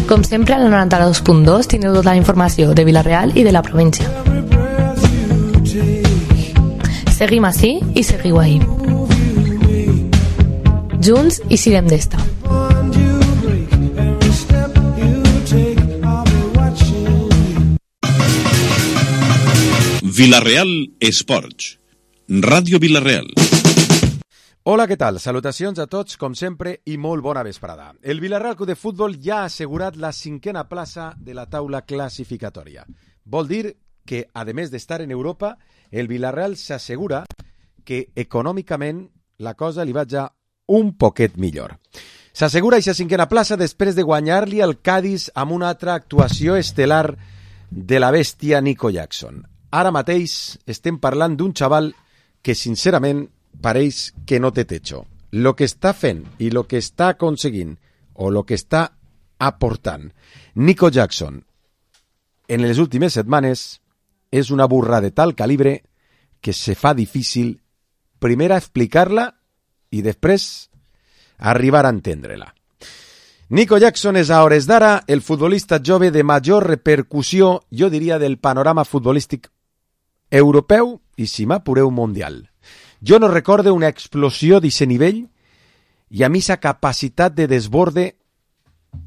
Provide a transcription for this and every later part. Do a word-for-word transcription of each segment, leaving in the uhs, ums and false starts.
Com sempre, al noranta-dos punt dos teniu tota la informació de Vila-real i de la província. Seguim ací i seguiu ahí. Junts i sirem d'esta. Vila-real Esports. Ràdio Vila-real. Hola, què tal? Salutacions a tots, com sempre, i molt bona vesprada. El Vila-real Club de Futbol ja ha assegurat la cinquena plaça de la taula classificatòria. Vol dir que, a més d'estar en Europa, el Vila-real s'assegura que econòmicament la cosa li va ja un poquet millor. S'assegura aquesta cinquena plaça després de guanyar-li el Cádiz amb una altra actuació estel·lar de la bèstia Nico Jackson. Ara mateix estem parlant d'un xaval que, sincerament, pareix que no té techo. Lo que està fent i lo que està aconseguint o lo que està aportant Nico Jackson en les últimes setmanes és una burra de tal calibre que se fa difícil primer a explicar-la i després arribar a entendre-la. Nico Jackson és a hores d'ara el futbolista jove de major repercussió, jo diria, del panorama futbolístic europeu i, si m'apureu, mundial. Jo no recorde una explosió d'aquest nivell i a mi sa capacitat de desborde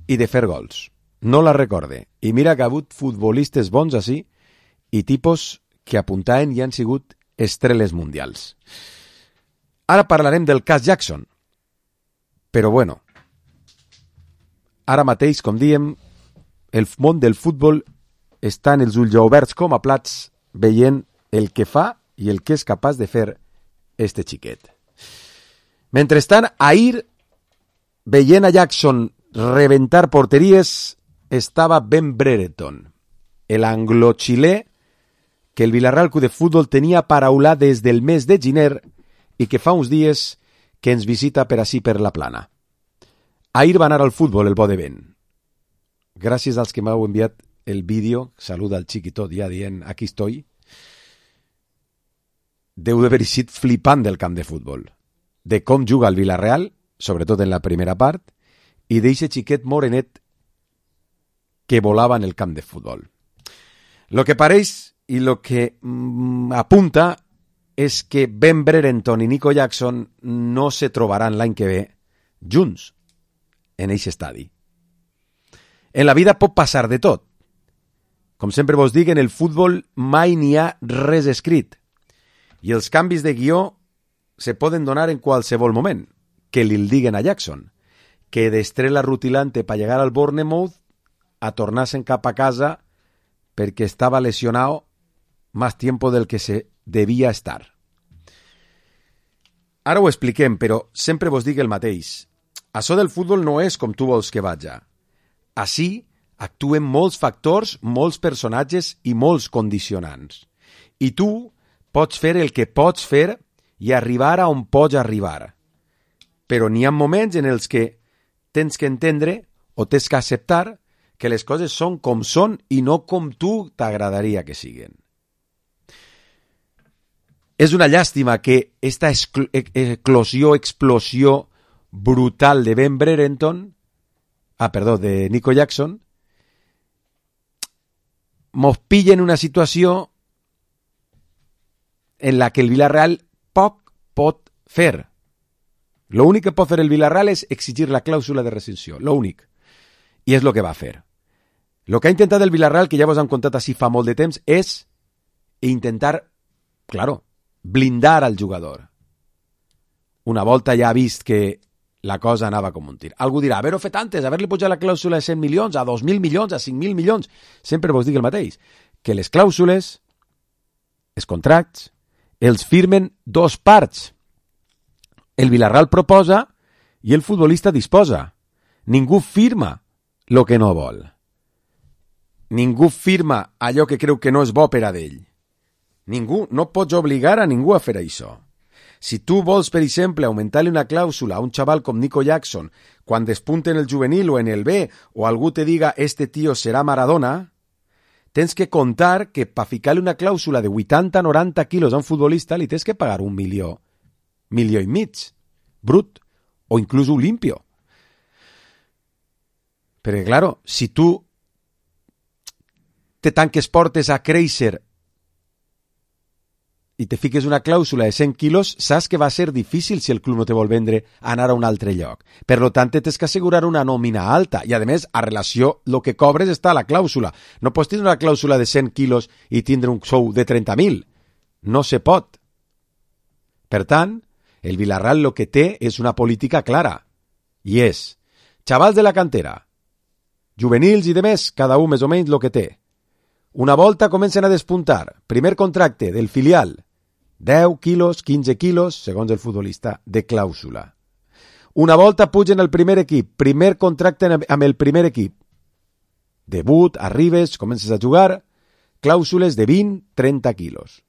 i de fer gols. No la recorde. I mira que ha hagut futbolistes bons així i tipus que apuntaven i han sigut estrelles mundials. Ara parlarem del cas Jackson. Però bueno, ara mateix, com diem, el món del futbol està en els ulls oberts com a plats veient el que fa i el que és capaç de fer este xiquet. Mentrestant, ahir, veient a Jackson reventar porteries, estava Ben Brereton, el anglo-xilè que el Vila-real Club de Futbol tenia paraulat des del mes de gener i que fa uns dies que ens visita per ací per la plana. Ahir va anar al futbol el bo de vent. Gràcies als que m'heu enviat el vídeo, saluda al xiquitó ja dient aquí estoy, deu d'haver sigut flipant del camp de futbol, de com juga el Vila-real, sobretot en la primera part, i d'eixe xiquet morenet que volava en el camp de futbol. Lo que pareix i lo que mm, apunta és que Ben Brereton i Nico Jackson no se trobaran l'any que ve junts en eixe estadi. En la vida pot passar de tot. Com sempre vos dic, en el futbol mai n'hi ha res escrit. I els canvis de guió se poden donar en qualsevol moment. Que li el diguen a Jackson, que d'estrella rutilante per llegar al Bournemouth a tornar-se'n cap a casa perquè estava lesionado más tiempo del que se devia estar. Ara ho expliquem, però sempre vos dic el mateix. Això del futbol no és com tu vols que vaja. Així actuen molts factors, molts personatges i molts condicionants. I tu pots fer el que pots fer i arribar a on pots arribar. Però n'hi ha moments en els que tens que entendre o tens que acceptar que les coses són com són i no com tu t'agradaria que siguin. És una llàstima que esta eclosió, explosió brutal de Ben Brereton, ah, perdó, de Nico Jackson, mos pilla en una situació en la que el Vila-real poc pot fer. Lo únic que pot fer el Vila-real és exigir la clàusula de rescissió, lo únic. I és lo que va fer. Lo que ha intentat el Vila-real, que ja vos han contat així fa molt de temps, és intentar, claro, blindar al jugador. Una volta ja ha vist que la cosa anava com un tir. Algú dirà, haver-ho fet antes, haver-li pujat la clàusula de cent milions, a dos mil milions, a cinc mil milions. Sempre vos dic el mateix, que les clàusules, els contractes, els firmen dos parts. El Vila-real proposa i el futbolista disposa. Ningú firma el que no vol. Ningú firma allò que creu que no és bo per a d'ell. Ningú, no pots obligar a ningú a fer això. Si tu vols, per exemple, augmentar-li una clàusula a un xaval com Nico Jackson quan despunte en el juvenil o en el B, o algú te diga este tío serà Maradona, tens que contar que per ficar-li una clàusula de vuitanta a noranta quilos a un futbolista li tens que pagar un milió, milió i mig, brut, o inclús un limpio. Perquè, claro, si tu te tanques portes a créixer i te fiques una clàusula de cent quilos, saps que va ser difícil si el club no te vol vendre anar a un altre lloc. Per lo tant, tens que assegurar una nòmina alta. I, a més, a relació, el que cobres està a la clàusula. No pots tindre una clàusula de cent quilos i tindre un sou de trenta mil. No se pot. Per tant, el Villarreal el que té és una política clara. I és, xavals de la cantera, juvenils i demés, cada un més o menys el que té. Una volta comencen a despuntar. Primer contracte del filial, deu quilos, quinze quilos, segons el futbolista, de clàusula. Una volta pugen al primer equip, primer contracte amb el primer equip. Debut, arribes, comences a jugar, clàusules de vint a trenta quilos.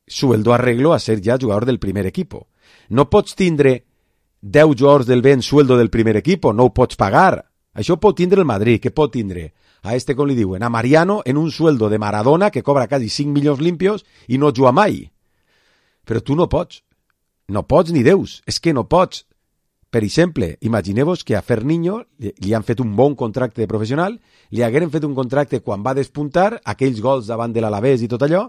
Sueldo arreglo a ser ja jugador del primer equipo. No pots tindre deu jugadors del ben sueldo del primer equipo, no ho pots pagar. Això pot tindre el Madrid, que pot tindre a este, com li diuen, a Mariano en un sueldo de Maradona que cobra quasi cinc milions limpios i no juga mai. Però tu no pots. No pots ni deus. És que no pots. Per exemple, imagineu-vos que a Ferniño li, li han fet un bon contracte de professional, li hagueren fet un contracte quan va despuntar, aquells gols davant de l'Alavés i tot allò,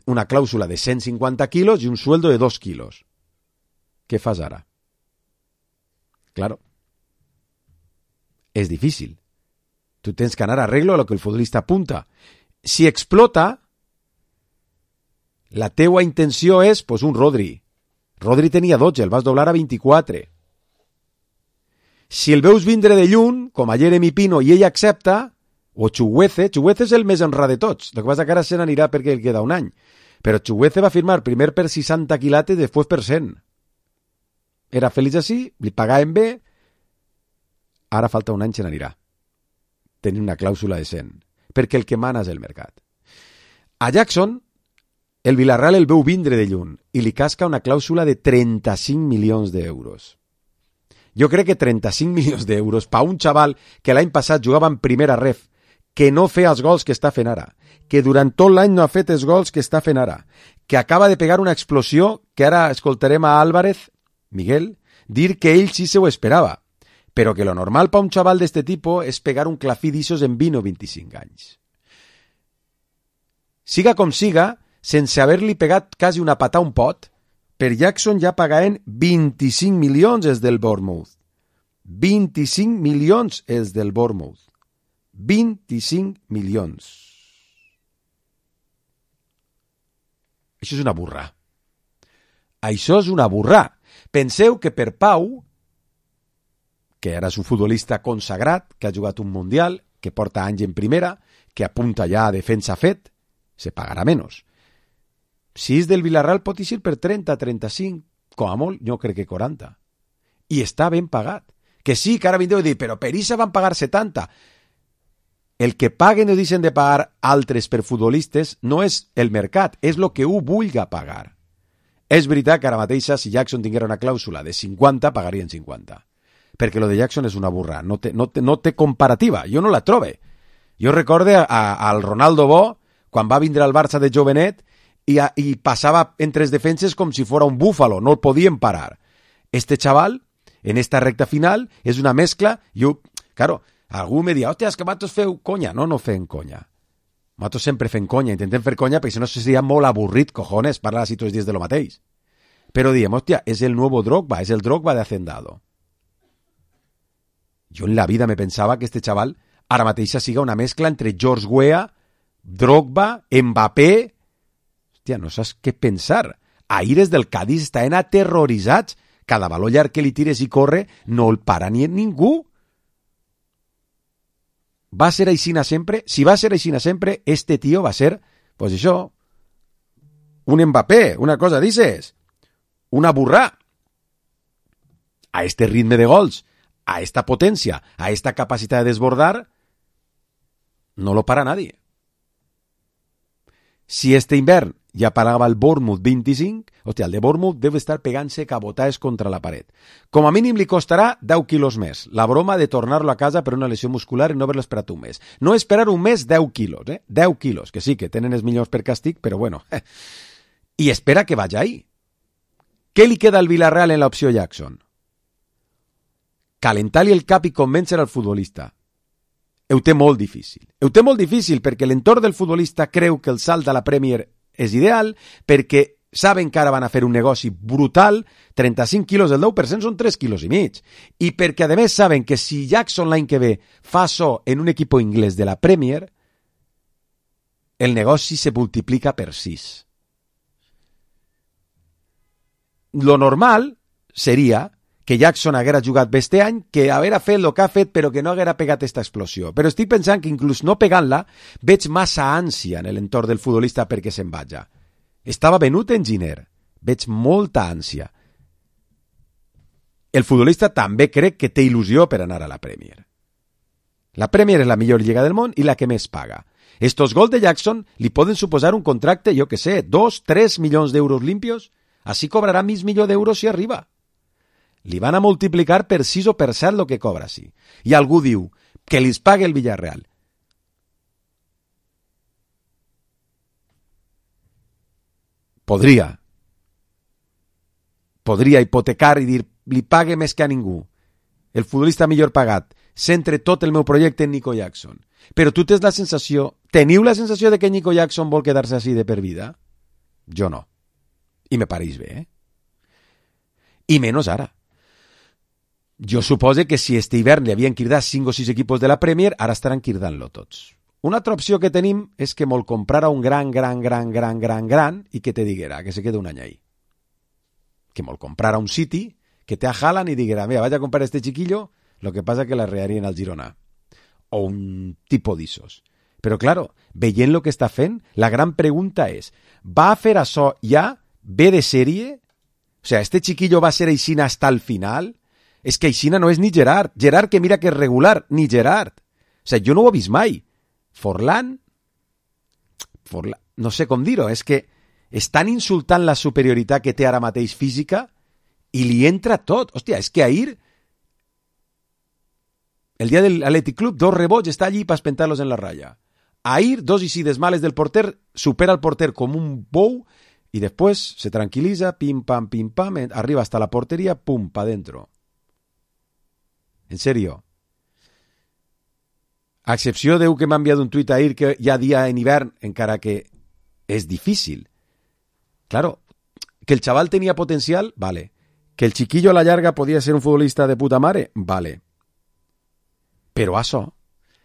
una clàusula de cent cinquanta quilos i un sueldo de dos quilos. Què fas ara? Claro. És difícil. Tu tens que anar a arreglo a lo que el futbolista apunta. Si explota, la teua intenció és, pues, un Rodri. Rodri tenia dotze, el vas doblar a vint-i-quatre. Si el veus vindre de lluny, com a Jeremy Pino, i ell accepta, o Chuguece, Chuguece és el més honrat de tots, el que passa que ara se n'anirà perquè el queda un any, però Chuguece va firmar primer per seixanta quilates i després per cent. Era feliç així, li pagaven bé, ara falta un any se n'anirà. Tenir una clàusula de cent, perquè el que mana és el mercat. A Jackson, el Villarreal el veu vindre de lluny i li casca una clàusula de trenta-cinc milions d'euros. Jo crec que trenta-cinc milions d'euros per un xaval que l'any passat jugava en primera ref, que no feia els gols que està fent ara, que durant tot l'any no ha fet els gols que està fent ara, que acaba de pegar una explosió que ara escoltarem a Álvarez, Miguel, dir que ell sí se ho esperava, però que lo normal per un xaval d'este tipus és pegar un clafí d'ixos en vint o vint-i-cinc anys. Siga com siga, sense haver-li pegat quasi una patà a un pot, per Jackson ja pagaven vint-i-cinc milions els del Bournemouth. vint-i-cinc milions els del Bournemouth. vint-i-cinc milions. Això és una burra. Això és una burra. Penseu que per Pau, que ara és un futbolista consagrat, que ha jugat un Mundial, que porta anys en primera, que apunta ja a defensa fet, se pagarà menys. Si és del Villarreal pot eixir per trenta, trenta-cinc, com a molt, jo crec que quaranta. I està ben pagat. Que sí, que ara vindreu a dir, però per Issa van pagar setanta. El que paguen o deixen de pagar altres per futbolistes no és el mercat, és el que ho vulga pagar. És veritat que ara mateixa, si Jackson tinguera una clàusula de cinquanta, pagarien cinquanta. Perquè lo de Jackson és una burra, no té, no té, no té comparativa, jo no la trobe. Jo recorde a, a, al Ronaldo Bo, quan va vindre al Barça de jovenet, i, a, i passava entre les defenses com si fora un búfalo, no el podien parar. Este chaval, en esta recta final, és una mescla, jo, claro, algú me dia, hòstia, és que matos feu conya. No, no fem conya. Matos sempre fem conya, intentem fer conya, perquè si no seria molt avorrit, cojones, parlar així tots els dies de lo mateix. Però diem, hòstia, és el nuevo Drogba, és el Drogba de Hacendado. Jo en la vida me pensava que este chaval ara mateixa siga una mescla entre George Weah, Drogba, Mbappé. Hòstia, no saps què pensar. Aires del Cádiz estaven aterroritzats. Cada baló llarg que li tires i corre no el para ni ningú. Va ser aixina sempre? Si va ser aixina sempre, este tío va ser, pues això, un Mbappé, una cosa dices, una burra. A este ritme de gols, a esta potencia, a esta capacidad de desbordar, no lo para nadie. Si este invern ja parava el Bournemouth vint-i-cinc, hòstia, el de Bournemouth deu estar pegant-se cabotades contra la paret. Com a mínim li costarà deu quilos més. La broma de tornar-lo a casa per una lesió muscular i no haver-lo esperat un mes. No esperar un mes, deu quilos, eh? deu quilos, que sí, que tenen els millors per càstig, però bueno. I espera que vagi ahí. Què li queda al Villarreal en l'opció Jackson? calentar-li el cap i convèncer al futbolista. Ho té molt difícil. Ho té molt difícil perquè l'entorn del futbolista creu que el salt a la Premier és ideal, perquè saben que ara van a fer un negoci brutal, trenta-cinc quilos del deu per cent són tres quilos i mig, i perquè a més saben que si Jackson l'any que ve fa so en un equip inglès de la Premier, el negoci se multiplica per sis. Lo normal seria que Jackson haguera jugat bé este any, que haguera fet el que ha fet però que no haguera pegat aquesta explosió. Però estic pensant que inclús no pegant-la veig massa ànsia en l'entorn del futbolista perquè se'n vaja. Estava venut en Giner. Veig molta ànsia. El futbolista també crec que té il·lusió per anar a la Premier. La Premier és la millor lliga del món i la que més paga. Estos gols de Jackson li poden suposar un contracte, jo que sé, dos, tres milions d'euros limpios. Així cobrarà mig milió d'euros si arriba. Li van a multiplicar per sis o per set el que cobra, sí. I algú diu que li pague el Villarreal. Podria. Podria hipotecar i dir, li pague més que a ningú. El futbolista millor pagat. Centre tot el meu projecte en Nico Jackson. Però tu tens la sensació, teniu la sensació de que Nico Jackson vol quedar-se així de per vida? Jo no. I me pareix bé, eh? I menys ara. Jo supose que si este hivern li havien cridat cinc o sis equipos de la Premier, ara estaran cridant-lo tots. Una altra opció que tenim és que mol comprara un gran, gran, gran, gran, gran, gran i que te diguera que se quede un any ahí. Que mol comprara un City, que te ajalan y diguera, mira, vaya a comprar este chiquillo, lo que pasa que la rearían al Girona. O un tipo d'issos. Però, claro, veient lo que està fent, la gran pregunta és, va a fer això ja, ve de sèrie? O sea, este chiquillo va a ser Aixina hasta el final? És que Aixina no és ni Gerard. Gerard, que mira que és regular, ni Gerard. O sea, jo no ho he vist mai. Forlán, Forlán, no sé com dir-ho, és que estan insultant la superioritat que té ara mateix física i li entra tot. Hòstia, és que ahir, el dia del Athletic Club, dos rebots, està allí per espentar-los en la ratlla. Ahir, dos isides males del porter, supera el porter com un bou i després se tranquil·litza, pim, pam, pim, pam, arriba hasta la porteria, pum, pa dentro. En serio. A excepció d'eu que m'ha enviat un tuit ahir que hi ha dia en hivern, encara que és difícil. Claro, que el xaval tenia potencial, vale. Que el chiquillo a la llarga podia ser un futbolista de puta mare, vale. Però això,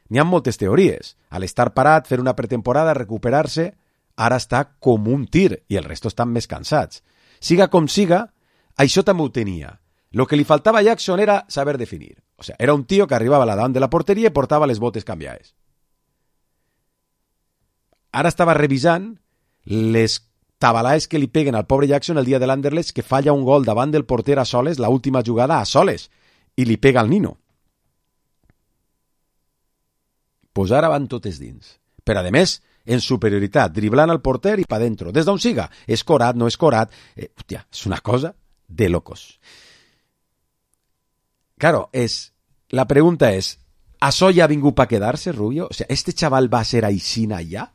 n'hi ha moltes teories. A l'estar parat, fer una pretemporada, recuperar-se, ara està com un tir i el resto estan més cansats. Siga com siga, això també ho tenia. Lo que li faltava a Jackson era saber definir. O sea, era un tío que arribava a la davant de la porteria i portava les botes canviades. Ara estava revisant les tabalaes que li peguen al pobre Jackson el dia de l'Anderlecht, que falla un gol davant del porter a soles, la última jugada a soles, i li pega al nino. Pues ara van totes dins. Però, a més, en superioritat, driblant al porter i pa dentro. Des d'on siga, escorat, no escorat. Eh, hòstia, és una cosa de locos. Claro, es, la pregunta es, ¿això ya ha vingut para quedarse, Rubio? O sea, ¿este chaval va a ser Aixina ya?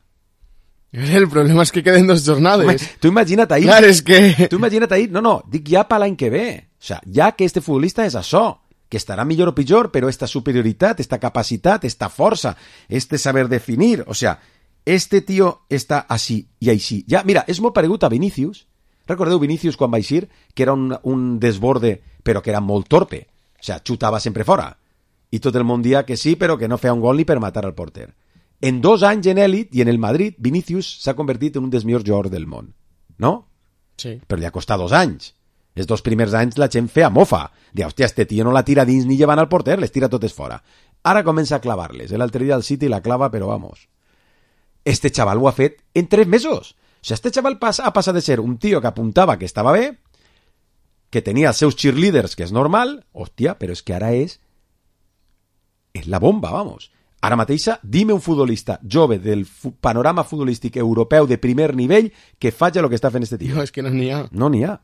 El problema es que queden dos jornades. Tú imagínate ahí. Claro, es que... Tú imagínate ahí. No, no, dic ja para l'any que ve. O sea, ja que este futbolista és això, que estarà millor o pitjor, però esta superioritat, esta capacitat, esta força, este saber definir, o sea, este tío està així i així. Ja, mira, és molt paregut a Vinícius. Recordeu Vinícius quan va eixir, que era un, un desborde, però que era molt torpe. O sea, xutava sempre fora. I tot el món dia que sí, però que no feia un gol ni per matar al porter. En dos anys en Elit i en el Madrid, Vinícius s'ha convertit en un dels millors jugadors del món. No? Sí. Però li ha costat dos anys. Els dos primers anys la gent feia mofa. Diu, hòstia, este tio no la tira dins ni llevant al porter, les tira totes fora. Ara comença a clavar-les. L'altre dia al City la clava, però vamos. Este xaval ho ha fet en tres mesos. O sigui, este xaval passa, ha passat de ser un tio que apuntava que estava bé, que tenia els seus cheerleaders, que és normal, hòstia, però és que ara és és la bomba, vamos. Ara mateixa, dime un futbolista jove del fu- panorama futbolístic europeu de primer nivell que faci el que està fent este tio. No, és que no n'hi ha. No n'hi ha.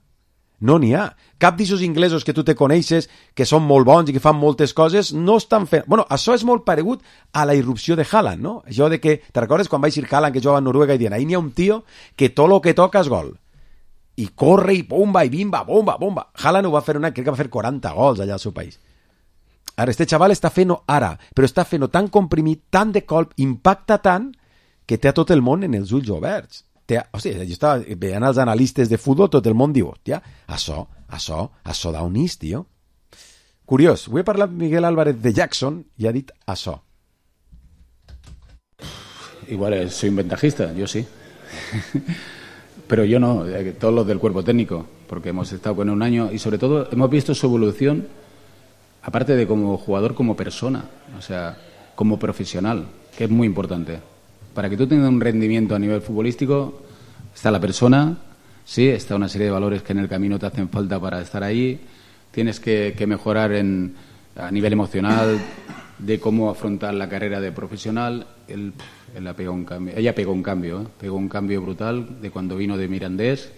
No n'hi ha. Cap d'aixòs inglesos que tu te coneixes, que són molt bons i que fan moltes coses, no estan fent... Bueno, això és molt paregut a la irrupció de Haaland, no? Això de que, te recordes quan va eixir Haaland, que jugava a Noruega, i diuen, ahí n'hi ha un tio que tot lo que toca és gol. I corre, i bomba, i bimba, bomba, bomba. Haaland ho va fer una... Crec que va fer quaranta gols allà al seu país. Ara, este xaval està fent-ho ara, però està fent-ho tan comprimit, tan de colp, impacta tant, que té a tot el món en els ulls oberts. Té, o sigui, jo estava veient els analistes de futbol, tot el món diu, hòstia, això, això, això da un is, tio. Curiós, avui he parlat amb Miguel Álvarez de Jackson i ha dit això. Igual soy un ventajista, yo sí. Pero yo no, todos los del cuerpo técnico, porque hemos estado con él un año y sobre todo hemos visto su evolución, aparte de como jugador, como persona, o sea, como profesional, que es muy importante. Para que tú tengas un rendimiento a nivel futbolístico, está la persona, sí, está una serie de valores que en el camino te hacen falta para estar ahí, tienes que, que mejorar en, a nivel emocional, de cómo afrontar la carrera de profesional. Él, él ha pegado un cambio, ella pegó un cambio, ¿eh? pegó un cambio brutal de cuando vino de Mirandés,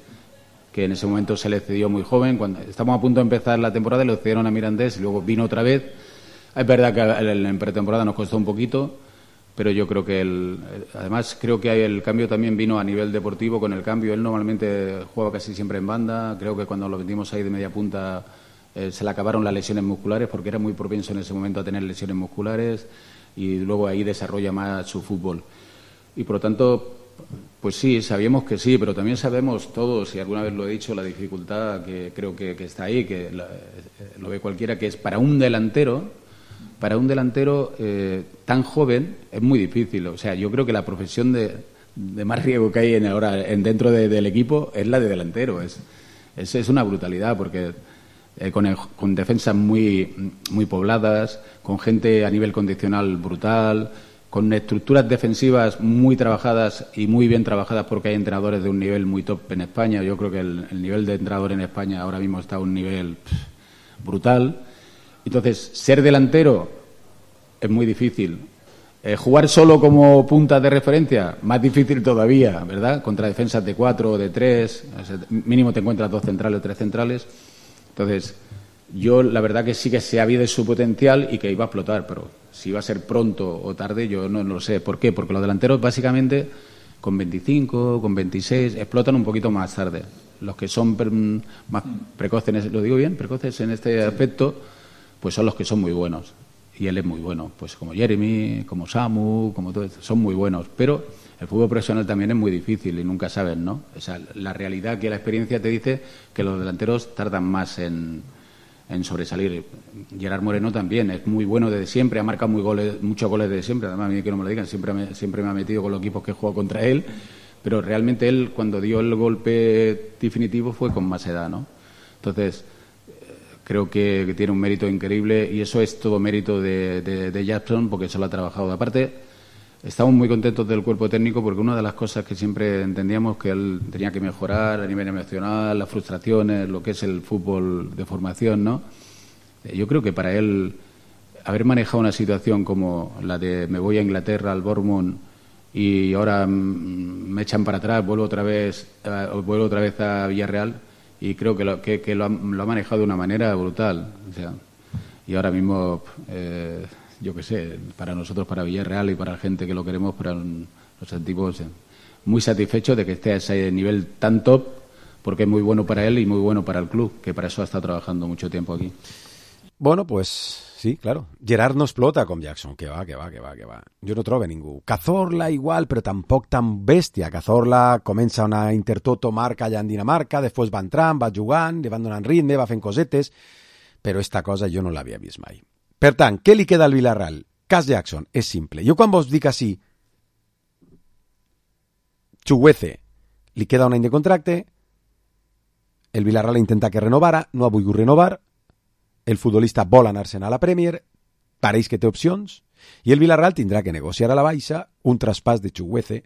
que en ese momento se le cedió muy joven. Cuando estamos a punto de empezar la temporada, le cedieron a Mirandés y luego vino otra vez. Es verdad que en pretemporada nos costó un poquito, pero yo creo que él, además creo que el cambio también vino a nivel deportivo con el cambio. Él normalmente juega casi siempre en banda. Creo que cuando lo metimos ahí de media punta eh, se le acabaron las lesiones musculares, porque era muy propenso en ese momento a tener lesiones musculares, y luego ahí desarrolla más su fútbol. Y por lo tanto, pues sí, sabíamos que sí, pero también sabemos todos, y alguna vez lo he dicho, la dificultad que creo que, que está ahí, que la, lo ve cualquiera, que es para un delantero, para un delantero eh, tan joven es muy difícil. O sea, yo creo que la profesión de, de más riesgo que hay en ahora en dentro de, del equipo es la de delantero. Es, es, es una brutalidad, porque eh, con, el, con defensas muy, muy pobladas, con gente a nivel condicional brutal, con estructuras defensivas muy trabajadas y muy bien trabajadas, porque hay entrenadores de un nivel muy top en España. Yo creo que el, el nivel de entrenador en España ahora mismo está a un nivel pff, brutal. Entonces, ser delantero es muy difícil. Eh, jugar solo como punta de referencia, más difícil todavía, ¿verdad? Contra defensas de cuatro o de tres, o sea, mínimo te encuentras dos centrales o tres centrales. Entonces, yo la verdad que sí que se ha habido su potencial y que iba a explotar, pero si va a ser pronto o tarde, yo no, no lo sé. ¿Por qué? Porque los delanteros básicamente con veinticinco, con veintiséis, explotan un poquito más tarde. Los que son pre más precoces, ¿lo digo bien? Precoces en este aspecto, pues son los que son muy buenos. Y él es muy bueno, pues como Jeremy, como Samu, como todo eso, son muy buenos. Pero el fútbol profesional también es muy difícil y nunca sabes, ¿no? O sea, la realidad que la experiencia te dice que los delanteros tardan más en, en sobresalir. Gerard Moreno también es muy bueno desde siempre, ha marcado muy goles, muchos goles desde siempre. Además, a mí que no me lo digan, siempre me, siempre me ha metido con los equipos que he jugado contra él. Pero realmente él, cuando dio el golpe definitivo, fue con más edad, ¿no? Entonces, creo que, que tiene un mérito increíble, y eso es todo mérito de, de, de Jackson, porque se lo ha trabajado. Aparte, estamos muy contentos del cuerpo técnico, porque una de las cosas que siempre entendíamos que él tenía que mejorar a nivel emocional, las frustraciones, lo que es el fútbol de formación, ¿no? Yo creo que para él haber manejado una situación como la de me voy a Inglaterra, al Bournemouth, y ahora me echan para atrás, vuelvo otra vez, uh, vuelvo otra vez a Villarreal, y creo que lo, que, que lo, ha, lo ha manejado de una manera brutal. O sea, y ahora mismo, eh, yo qué sé, para nosotros, para Villarreal y para la gente que lo queremos, para un, nos sentimos muy satisfechos de que esté a ese nivel tan top, porque es muy bueno para él y muy bueno para el club, que para eso ha estado trabajando mucho tiempo aquí. Bueno, pues sí, claro. Gerard no explota com Jackson, que va, que va, que va, que va. Jo no trobo ningú. Cazorla igual, però tampoc tan bèstia. Cazorla comença una Intertoto marca allà en Dinamarca, després va entrant, va jugant, li van donant ritme, va fent cosetes, però esta cosa jo no l'havia vist mai. Per tant, què li queda al Villarreal? Cas Jackson, és simple. Jo quan vos dic així, Chukwueze, li queda un any de contracte, el Villarreal intenta que renovara, no ha volgut renovar, el futbolista vol anar-se'n a la Premier, pareix que té opcions, i el Villarreal tindrà que negociar a la baixa un traspàs de Chukwueze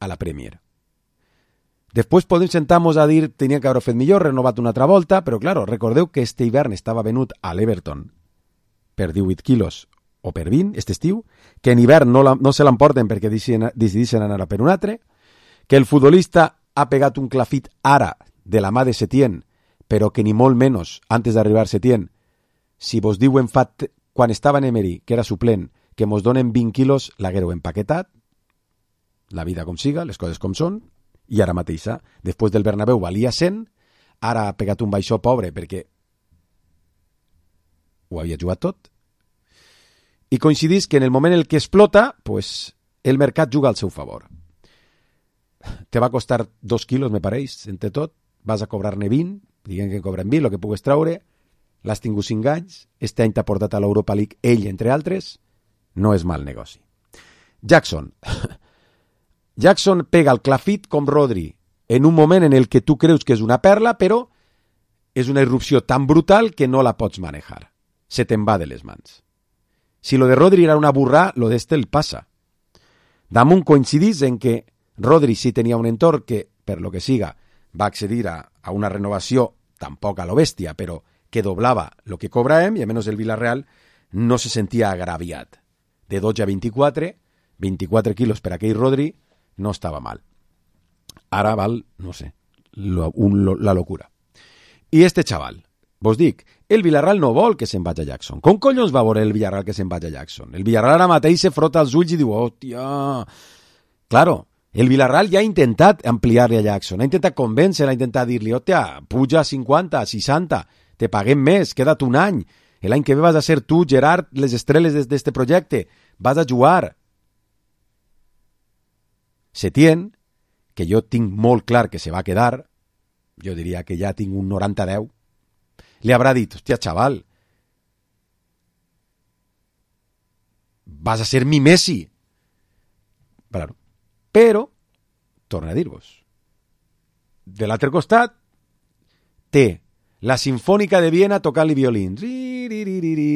a la Premier. Després podem sentar-nos a dir tenia que haver fet millor, renovat una altra volta, però claro, recordeu que este hivern estava venut a l'Everton per divuit quilos o per vint, este estiu, que en hivern no, la, no se l'emporten perquè decideixen anar a per un altre, que el futbolista ha pegat un clafit ara de la mà de Setién, però que ni molt menys, antes d'arribar Setién, si vos diuen fa quan estava en Emery, que era suplent, que mos donen vint quilos, l'haguereu empaquetat, la vida com siga, les coses com són, i ara mateixa, després del Bernabéu valia cent, ara ha pegat un baixó pobre perquè ho havia jugat tot, i coincidís que en el moment en el que explota, pues, el mercat juga al seu favor. Te va costar dos quilos, me pareix, entre tot, vas a cobrar-ne vint, diguem que cobren vint, el que pugues treure, l'has tingut cinc anys, este any t'ha portat a l'Europa League ell, entre altres, no és mal negoci. Jackson. Jackson pega el clafit com Rodri, en un moment en el que tu creus que és una perla, però és una irrupció tan brutal que no la pots manejar. Se te'n va de les mans. Si lo de Rodri era una burra, lo d'este el passa. Damunt coincidís en que Rodri sí tenia un entorn que, per lo que siga, va accedir a, a una renovació, tampoc a lo bèstia, però que doblava lo que cobràvem, i a menys el Villarreal no se sentia agraviat. De dotze a vint-i-quatre, vint-i-quatre quilos per aquell Rodri, no estava mal. Ara val, no sé, lo, un, lo, la locura. I este xaval, vos dic, el Villarreal no vol que se'n vagi a Jackson. Com collons va veure el Villarreal que se'n vagi a Jackson? El Villarreal ara mateix se frota els ulls i diu, hòstia... Claro, el Villarreal ja ha intentat ampliar-li a Jackson, ha intentat convèncer, ha intentat dir-li, hòstia, puja a cinquanta, a seixanta, te paguem més, queda't un any, l'any que ve vas a ser tu, Gerard, les estrelles d'este projecte, vas a jugar. Setién, que jo tinc molt clar que se va quedar, jo diria que ja tinc un noranta a deu, li haurà dit, hòstia, xaval, vas a ser mi Messi. Claro. Però, torna a dir-vos, de l'altre costat, té la Sinfònica de Viena tocant-li violins.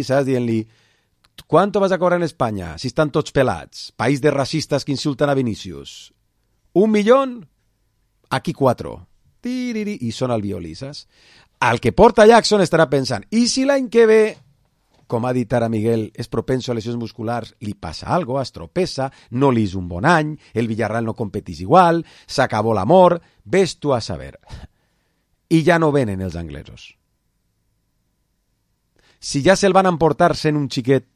Saps? Dient-li, ¿cuánto vas a cobrar en España si están tots pelats? País de racistas que insultan a Vinicius. ¿Un millón? Aquí cuatro. I sona el violí, saps? Al que porta Jackson estarà pensant, i si l'any que ve, com ha dit ara Miguel, és propenso a lesions musculars, li passa algo, es tropessa, no li és un bon any, el Villarreal no competís igual, s'acabó l'amor, ves tu a saber. I ja no venen els anglesos. Si ja se'l van emportar sent un xiquet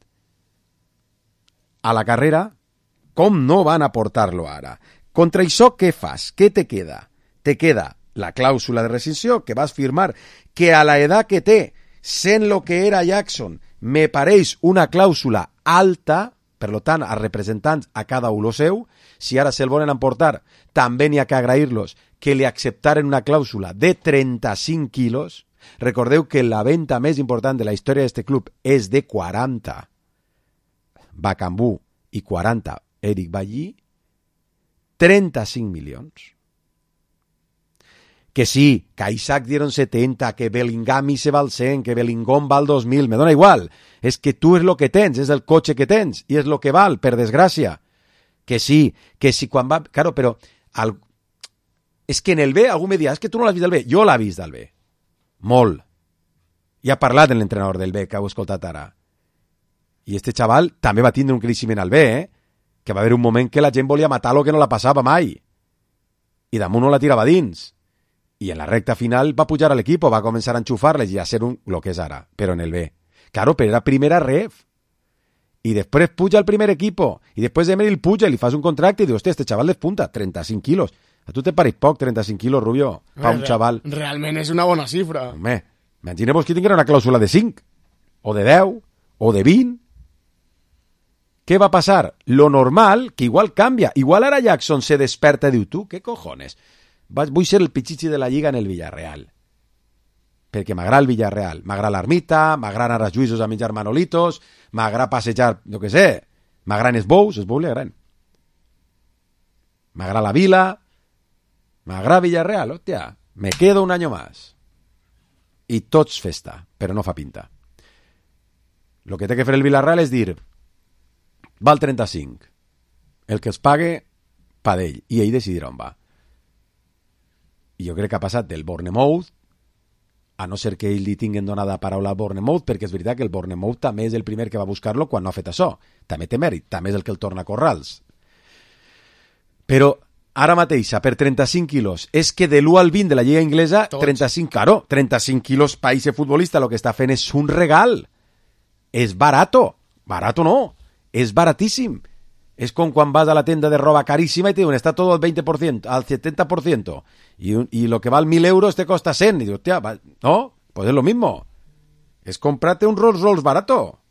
a la carrera, com no van a portar-lo ara? Contra això, què fas? Què te queda? Te queda la clàusula de rescissió que vas firmar, que a la edat que té, sent lo que era Jackson, me pareix una clàusula alta, per tant, a representants a cada un lo seu, si ara se'l volen emportar, també n'hi ha que agrair-los que li acceptaren una clàusula de trenta-cinc quilos. Recordeu que la venda més important de la història d'este club és de quaranta. Bacambú i quaranta Eric Ballí, trenta-cinc milions. Que sí, que a Isaac dieron setenta, que Bellingham se val cent, que Bellingham val dos mil, me dona igual. És que tu és lo que tens, és el cotxe que tens, i és lo que val, per desgràcia. Que sí, que sí, quan va... Claro, però... Al... És que en el B, algú me dirà, és que tu no l'has vist del B. Jo l'he vist del B. Molt. I ha parlat amb l'entrenador del B, que heu escoltat ara. I este xaval també va tindre un creixement al B, eh? Que va haver un moment que la gent volia matar-lo que no la passava mai. I damunt no la tirava dins. I en la recta final va pujar a l'equip, va començar a enxufar-les i a ser un, lo que és ara, però en el B. Claro, però era primera ref. I després puja al primer equipo. I després Emery el puja i li fas un contracte i dius, hòstia, este xaval despunta, trenta-cinc quilos. A tu te pareix poc, trenta-cinc quilos, Rubio, pa un xaval. Realment és una bona xifra. Home, imagineu-vos que tinguera una clàusula de cinc, o de deu, o de vint. Què va passar? Lo normal, que igual canvia. Igual ara Jackson se desperta i diu, tu, què cojones? Vull ser el pichichi de la lliga en el Villarreal. Perquè m'agrada el Villarreal. M'agrada l'ermita, m'agrada anar als juïsos a menjar manolitos, m'agrada passejar, no què sé, m'agraden els bous, els bous li agraden. M'agrada la vila, m'agrada Villarreal, hòstia, me quedo un año más. I tots festa, però no fa pinta. Lo que té que fer el Villarreal és dir, val trenta-cinc. El que es pague, pa d'ell, i ell decidirà on va. I jo crec que ha passat del Bournemouth, a no ser que ell li tinguin donada paraula a Bournemouth, perquè és veritat que el Bournemouth també és el primer que va buscar-lo quan no ha fet això. També té mèrit, també és el que el torna a Corrals. Però ara mateixa, per trenta-cinc quilos, és que de l'u al vint de la lliga inglesa, Tots. trenta-cinc, claro, trenta-cinc quilos pa ese futbolista, lo que està fent és un regal. És barato. Barato no, és baratíssim. És com quan vas a la tenda de roba caríssima i te diuen, està todo al veinte por ciento, al setenta por ciento, y, y lo que val mil euros te costa cent. Y digo, hostia, no, pues es lo mismo. Es comprarte un Rolls Royce barato.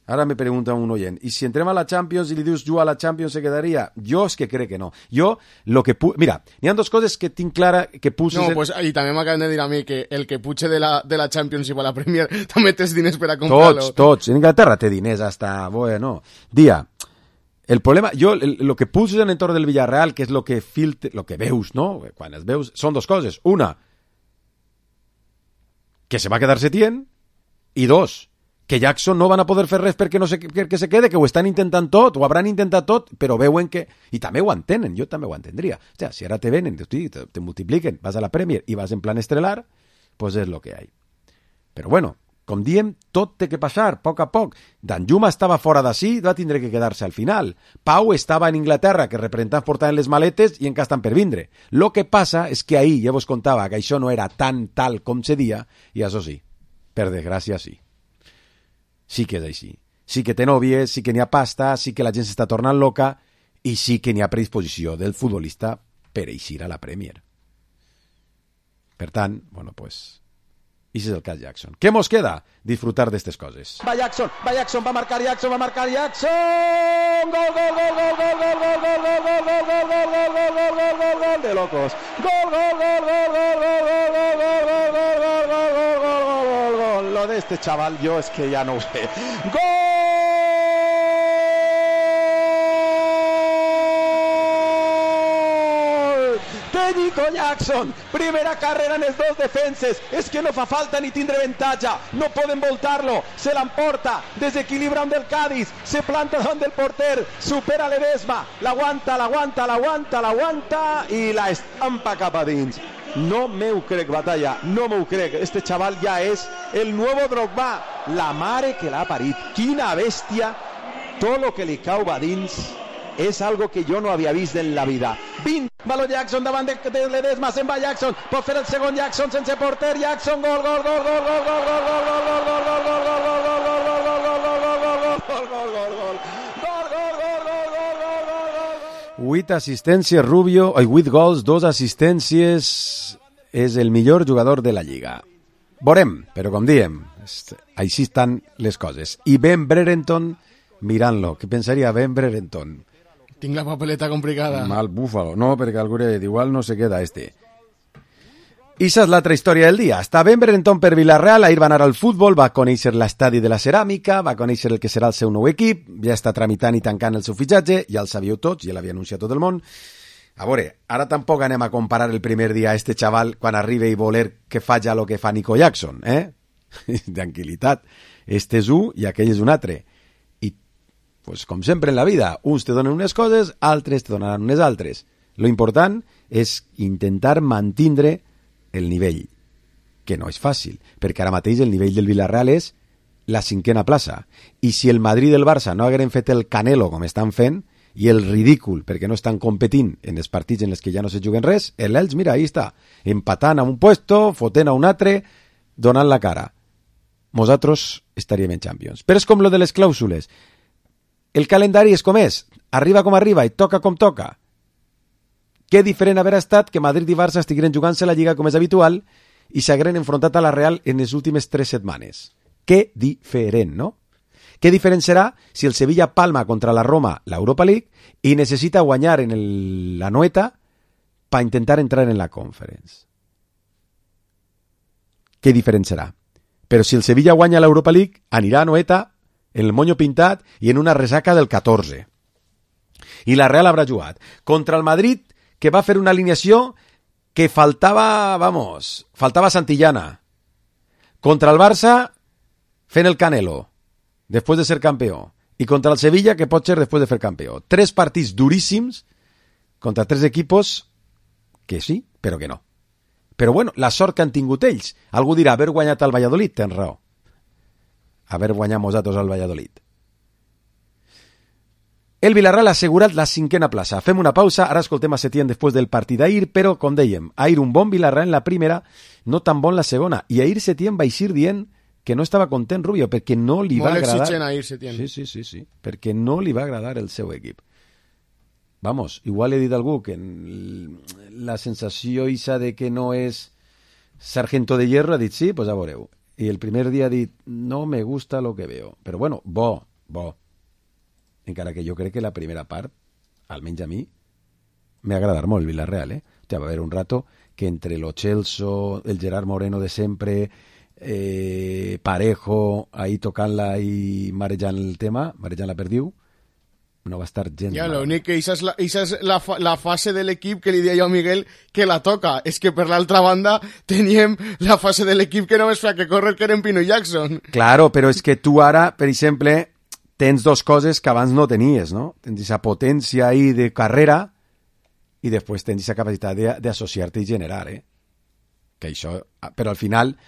Ara me pregunta un oient, i si entrem a la Champions i li dius juga a la Champions se quedaria? Jo és que crec que no. Jo, lo que pu... Mira, n'hi ha dues coses que tinc clara que pulses... No, en... pues, i també m'acaben de dir a mi que el que puche de la, de la Champions i va a la Premier també tens diners per a comprar-lo. Tots, tots. En Inglaterra té diners hasta... Bueno, dia, el problema... Jo, el, lo que pulses en l'entorn del Villarreal, que és lo que filtre, lo que veus, no? Quan els veus, són dues coses. Una, que se va quedar Setién, i dos, que Jackson no van a poder fer res perquè no se, perquè se quede, que ho estan intentant tot, ho hauran intentat tot, però veuen que... I també ho entenen, jo també ho entendria. O sea, si ara te venen, te, te multipliquen, vas a la Premier i vas en plan estelar, pues és lo que hay. Però bueno, com diem, tot té que passar, a poc a poc. Danjuma estava fora d'ací, va tindre que quedar-se al final. Pau estava en Inglaterra, que representants portaven les maletes i encara estan per vindre. Lo que passa és que ahir ja vos contava que això no era tan tal com se dia, i això sí, per desgràcia sí. Sí que és així. Sí que té nòvies, sí que n'hi ha pasta, sí que la gent s'està tornant loca i sí que n'hi ha predisposició del futbolista per eixir a la Premier. Per tant, bueno, pues... I és el cas Jackson. Què mos queda? Disfrutar d'estes coses. Va Jackson, va Jackson, va marcar Jackson, va marcar Jackson! Gol, gol, gol, gol, gol, gol, gol, gol, gol, gol, gol, gol, gol, gol, gol, gol, gol, gol, gol, de locos. Gol, gol, gol, gol, gol, gol, gol, gol, gol, gol, gol, gol, gol, gol, gol, gol. Lo de este chaval yo es que ya no sé. ¡Gol! De Nico Jackson, primera carrera en els dos defenses, és que no fa falta ni tindre avantatge, no poden voltar-lo, se l'emporta, desequilibra un del Cádiz, se planta davant del porter, supera Ledesma, l'aguanta, l'aguanta, l'aguanta, l'aguanta i la estampa cap a dins. No me ho crec, Batalla, no me ho crec. Este chaval ja és el nuevo Drogba, la mare que l'ha parit. Quina bèstia, tot lo que li cau va dins és algo que jo no havia vist en la vida. vint, baló Jackson davant de, de Ledesma, se'n va Jackson, pot fer el segon Jackson sense porter, Jackson, gol, gol, gol, gol, gol, gol, gol, gol, gol, gol, gol, gol, gol, gol, gol, gol, vuit assistències Rubio, ai, vuit gols, dos assistències, és el millor jugador de la Lliga. Veurem, però com diem, així estan les coses. I Ben Brereton mirant-lo, què pensaria Ben Brereton? Tinc la papeleta complicada. Mal búfalo, no, perquè algú igual no se queda este. I esa és l'altra història del dia. Està Ben Brereton per Villarreal, ahir va anar al futbol, va conèixer l'estadi de la Ceràmica, va conèixer el que serà el seu nou equip, ja està tramitant i tancant el seu fitxatge, ja el sabíeu tots, ja l'havia anunciat tot el món. A veure, ara tampoc anem a comparar el primer dia a este xaval quan arriba i voler que faci el que fa Nico Jackson, eh? Tranquilitat. Este és un i aquell és un altre. I, pues, com sempre en la vida, uns te donen unes coses, altres te donaran unes altres. Lo important és intentar mantindre el nivell, que no és fàcil, perquè ara mateix el nivell del Villarreal és la cinquena plaça, i si el Madrid i el Barça no hagueren fet el Canelo com estan fent, i el ridícul, perquè no estan competint en els partits en els que ja no se juguen res, l'Elx, mira, ahí està, empatant a un puesto, fotent a un altre, donant la cara. Nosaltres estaríem en Champions. Però és com lo de les clàusules. El calendari és com és, arriba com arriba i toca com toca. Què diferent haver estat que Madrid i Barça estigueren jugant-se la Lliga com és habitual i s'hagueren enfrontat a la Real en les últimes tres setmanes. Què diferent, no? Què diferent serà si el Sevilla palma contra la Roma l'Europa League i necessita guanyar en el, la Noeta per intentar entrar en la Conference? Què diferent serà? Però si el Sevilla guanya l'Europa League, anirà a Noeta en el monyo pintat i en una resaca del catorze. I la Real haurà jugat contra el Madrid, que va fer una alineació que faltava, vamos, faltava Santillana. Contra el Barça, fent el Canelo, després de ser campió. I contra el Sevilla, que pot ser després de fer campió. Tres partits duríssims contra tres equipos que sí, però que no. Però bueno, la sort que han tingut ells. Algú dirà, haver guanyat al Valladolid, tens raó. Haver guanyat nosaltres al Valladolid. El Villarreal ha assegurat la cinquena plaça. Fem una pausa, ara escoltem a Setién després del partit d'ahir, però, com dèiem, ahir un bon Villarreal en la primera, no tan bon la segona. I ahir Setién va eixir dient que no estava content Rubio, perquè no li va Molt agradar... exigent ahir Setién. Sí, sí, sí, sí, perquè no li va agradar el seu equip. Vamos, igual he dit a algú que la sensació isa de que no és sargento de hierro, ha dit sí, pues a veureu. I el primer dia ha dit, no me gusta lo que veo. Però bueno, bo, bo. Encara que jo crec que la primera part, almenys a mi, m'ha agradat molt el Villarreal, eh? O sea, va haver un rato que entre lo Celso, el Gerard Moreno de sempre, eh, Parejo, ahí tocant-la i marejant el tema, marejant la perdiu, no va estar gens ja, mal. l'únic que això és, la, això és la, fa, la fase de l'equip que li deia jo a Miguel que la toca. És que per l'altra banda teníem la fase de l'equip que només fa que córrer que eren Pino Jackson. Claro, però és que tu ara, per exemple, tens dos coses que abans no tenies, no? Tens aquesta potència ahí de carrera i després tens aquesta capacitat d'associar-te i generar, eh? Que això... Però al final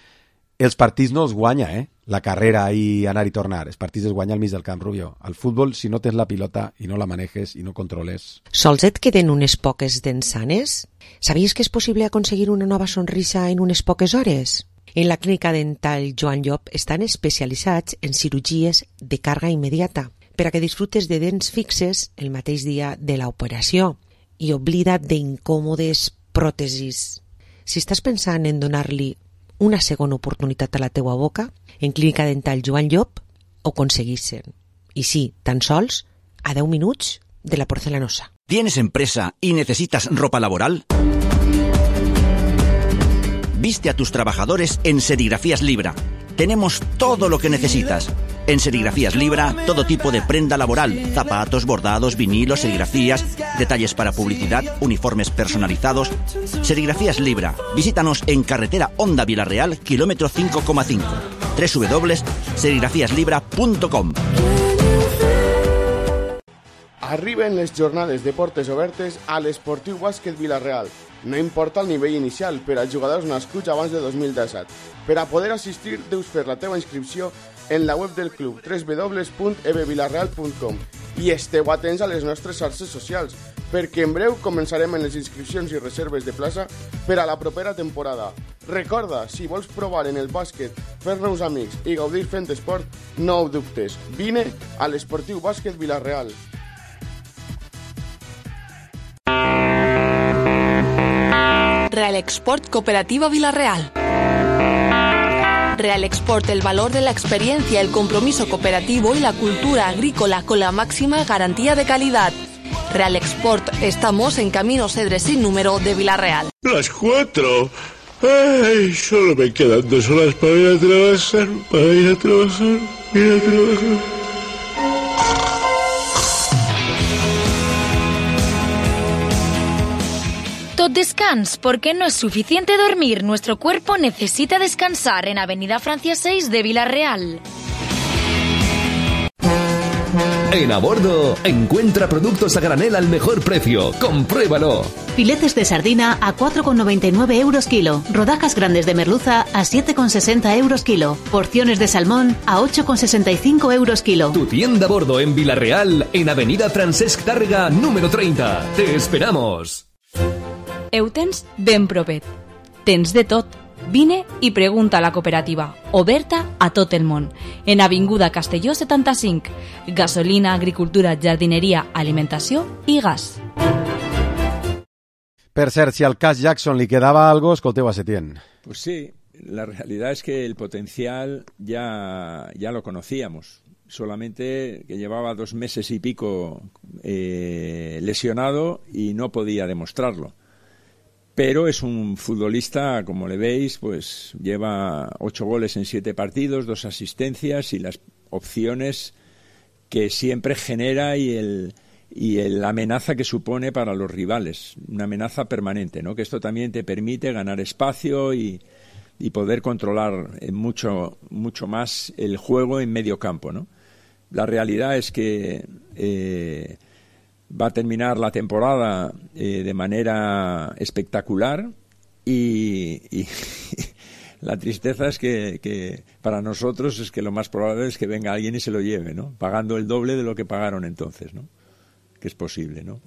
els partits no els guanya, eh? La carrera i anar i tornar. Els partits es guanya al mig del camp, Rubio. Al futbol, si no tens la pilota i no la manejes i no controles... Sols et queden unes poques dents sanes? Sabies que és possible aconseguir una nova sonrisa en unes poques hores? En la clínica dental Joan Llop estan especialitzats en cirurgies de càrrega immediata per a que disfrutes de dents fixes el mateix dia de l'operació i oblida't d'incòmodes pròtesis. Si estàs pensant en donar-li una segona oportunitat a la teua boca, en Clínica Dental Joan Llop ho aconseguissin. I sí, tan sols a deu minuts de la porcelanosa. ¿Tienes empresa y necesitas ropa laboral? Viste a tus trabajadores en Serigrafías Libra. Tenemos todo lo que necesitas. En Serigrafías Libra, todo tipo de prenda laboral, zapatos, bordados, vinilos, serigrafías, detalles para publicidad, uniformes personalizados. Serigrafías Libra. Visítanos en carretera Honda Villarreal, kilómetro cinco coma cinco. doble u doble u doble u punt serigrafías libra punt com. Arriben les jornades de portes obertes a l'Esportiu Bàsquet Villarreal. No importa el nivell inicial per als jugadors nascuts abans de dos mil disset. Per a poder assistir, deus fer la teva inscripció en la web del club, doble u doble u doble u punt e b villarreal punt com, i esteu atents a les nostres xarxes socials, perquè en breu començarem en les inscripcions i reserves de plaça per a la propera temporada. Recorda, si vols provar en el bàsquet, fer-nos amics i gaudir fent esport, no ho dubtes. Vine a l'Esportiu Bàsquet Villarreal. Real Export Cooperativa Villarreal. Real Export, el valor de la experiencia, el compromiso cooperativo y la cultura agrícola con la máxima garantía de calidad. Real Export, estamos en Camino Cedre sin número de Villarreal. Las cuatro. Ay, solo me quedan dos horas para ir a trabajar, para ir a trabajar, ir a trabajar. Tot descans, porque no es suficiente dormir. Nuestro cuerpo necesita descansar en Avenida Francia seis de Villarreal. En A Bordo, encuentra productos a granel al mejor precio. ¡Compruébalo! Filetes de sardina a cuatro con noventa y nueve euros kilo. Rodajas grandes de merluza a siete con sesenta euros kilo. Porciones de salmón a ocho con sesenta y cinco euros kilo. Tu tienda A Bordo en Villarreal, en Avenida Francesc Tàrrega, número treinta. ¡Te esperamos! Eutens ben propet. Tens de tot. Vine i pregunta a la cooperativa, oberta a tot el món. En Avinguda Castelló setanta-cinc. Gasolina, agricultura, jardineria, alimentació i gas. Per cert, si al cas Jackson li quedava algo, escolteu a Setién. Pues sí, la realidad es que el potencial ya, ya lo conocíamos. Solamente que llevaba dos meses y pico eh, lesionado y no podía demostrarlo. Pero es un futbolista, como le veis, pues lleva ocho goles en siete partidos, dos asistencias y las opciones que siempre genera y el y el, la amenaza que supone para los rivales, una amenaza permanente, ¿no? Que esto también te permite ganar espacio y, y poder controlar mucho mucho más el juego en medio campo, ¿no? La realidad es que eh, va a terminar la temporada eh, de manera espectacular y, y la tristeza es que, que para nosotros es que lo más probable es que venga alguien y se lo lleve, ¿no? Pagando el doble de lo que pagaron entonces, ¿no? Que es posible, ¿no?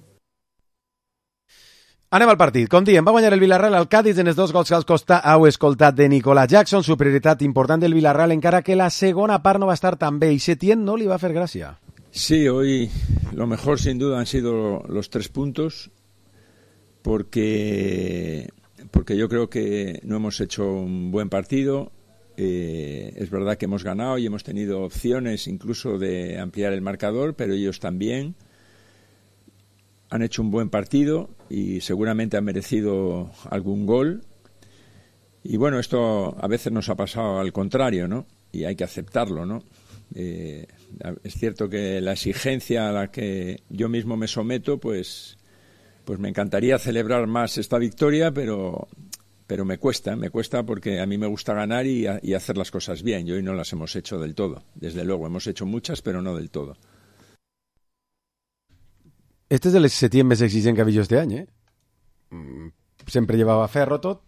Anem al partit. Com diem, va guanyar el Villarreal al Cádiz en els dos gols que als costa heu escoltat de Nicolas Jackson. Superioritat important del Villarreal, encara que la segona part no va estar tan bé i Setién no li va fer gràcia. Sí, hoy lo mejor sin duda han sido los tres puntos porque, porque yo creo que no hemos hecho un buen partido. Eh, es verdad que hemos ganado y hemos tenido opciones incluso de ampliar el marcador, pero ellos también han hecho un buen partido y seguramente han merecido algún gol. Y bueno, esto a veces nos ha pasado al contrario, ¿no? Y hay que aceptarlo, ¿no? Eh, es cierto que la exigencia a la que yo mismo me someto, pues, pues me encantaría celebrar más esta victoria, pero, pero me cuesta, me cuesta porque a mí me gusta ganar y, y hacer las cosas bien. Y hoy no las hemos hecho del todo. Desde luego, hemos hecho muchas, pero no del todo. Este és el setién més exigent que ha vist jo este any, eh? Sempre llevava ferro tot.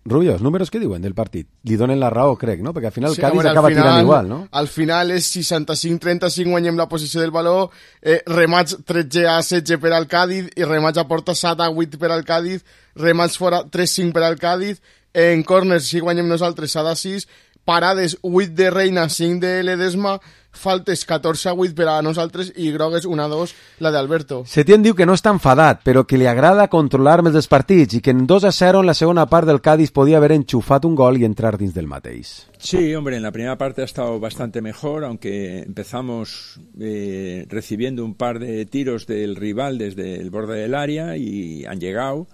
Rubio, els números que diuen del partit? Li donen la raó, crec, no? Perquè al final el sí, Cádiz home, acaba final, tirant igual, no? Al final és seixanta-cinc trenta-cinc, guanyem la posició del valor, eh, remats tretze a setze per al Cádiz i remats a porta set a vuit per al Cádiz, remats fora tres cinc per al Cádiz, en corners sí guanyem nosaltres set a sis, parades vuit de Reina, cinc de Ledesma, faltes catorze a vuit per a nosaltres i grogues una a dos la d'Alberto. Setién diu que no està enfadat, però que li agrada controlar més els partits i que en dos a cero en la segona part del Cádiz podía haber enchufat un gol y entrar dins del mateix. Sí, hombre, en la primera parte ha estado bastante mejor, aunque empezamos eh, recibiendo un par de tiros del rival desde el borde del área y han llegado.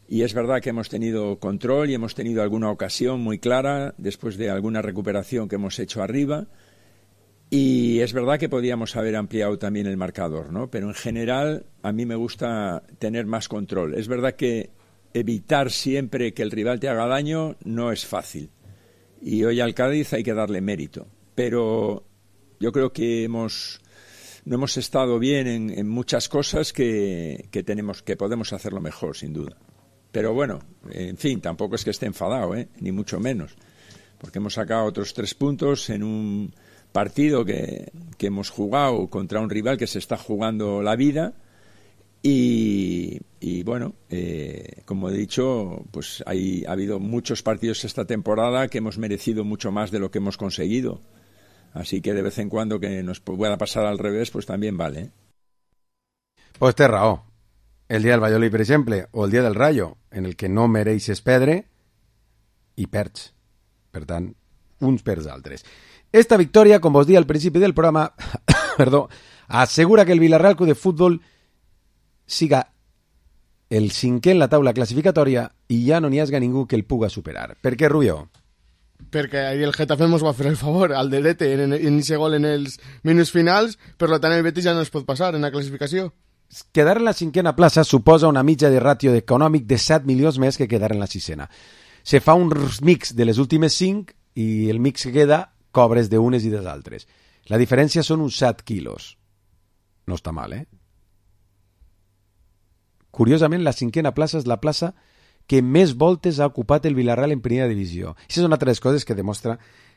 Y es verdad que hemos tenido control y hemos tenido alguna ocasión muy clara después de alguna recuperación que hemos hecho arriba. Y es verdad que podíamos haber ampliado también el marcador, ¿no? Pero en general a mí me gusta tener más control. Es verdad que evitar siempre que el rival te haga daño no es fácil. Y hoy al Cádiz hay que darle mérito. Pero yo creo que hemos... no hemos estado bien en, en muchas cosas que, que, tenemos, que podemos hacerlo mejor, sin duda. Pero bueno, en fin, tampoco es que esté enfadado, ¿eh? Ni mucho menos, porque hemos sacado otros tres puntos en un partido que, que hemos jugado contra un rival que se está jugando la vida y, y bueno, eh, como he dicho, pues hay, ha habido muchos partidos esta temporada que hemos merecido mucho más de lo que hemos conseguido. Así que de vez en cuando que nos pueda pasar al revés, pues también vale, ¿eh? Pues té raó. El dia del Valladolid, per exemple, o el dia del Rayo, en el que no mereixes perdre i perds. Per tant, uns perds altres. Esta victòria, com vos dia al principi del programa, perdó, assegura que el Villarreal Club de Futbol siga el cinquè en la taula classificatòria i ja no n'hi hagi ningú que el puga superar. Per què, Rubio? Perquè ahir el Getafe ens va fer el favor al delete en aquest gol en els minuts finals, per tant el Betis ja no es pot passar en la classificació. Quedar en la cinquena plaça suposa una mitja de ràtio econòmic de set milions més que quedar en la sisena. Se fa un mix de les últimes cinc i el mix que queda cobres d'unes i de altres. La diferència són uns set quilos. No està mal, eh? Curiosament, la cinquena plaça és la plaça que més voltes ha ocupat el Villarreal en primera divisió. Això és una altra de les coses que demostra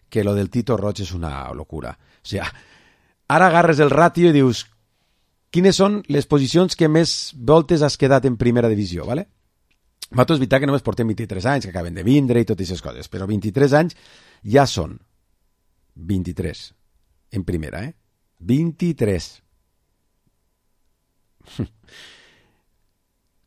que lo del Tito Roig és una locura. O sigui, ara agarres el ràtio i dius quines són les posicions que més voltes has quedat en primera divisió, ¿vale? Nosaltres és veritat que només portem vint-i-tres anys, que acaben de vindre i totes aquestes coses, però vint-i-tres anys ja són vint-i-tres en primera, eh? vint-i-tres.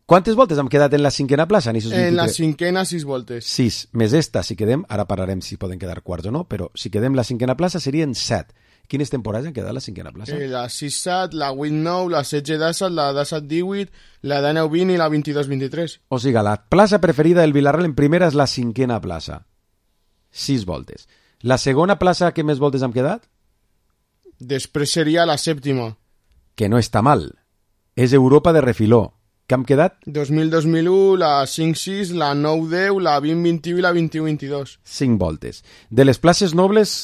Quantes voltes hem quedat en la cinquena plaça? En, en la cinquena, sis voltes. Sis, més esta, si quedem, ara parlarem si poden quedar quarts o no, però si quedem la cinquena plaça serien set. Quines temporades han quedat la cinquena plaça? Eh, la sis set, la vuit nou, la setze disset, la disset divuit, la dinou vint i la vint-i-dos vint-i-tres. O sigui, la plaça preferida del Villarreal en primera és la cinquena plaça. Sis voltes. La segona plaça que més voltes han quedat? Després seria la sèptima. Que no està mal. És Europa de refiló. Que han quedat? dos mil dos mil u, la cinc sis, la nou deu, la vint vint-i-u i la vint-i-u vint-i-dos. Cinc voltes. De les places nobles,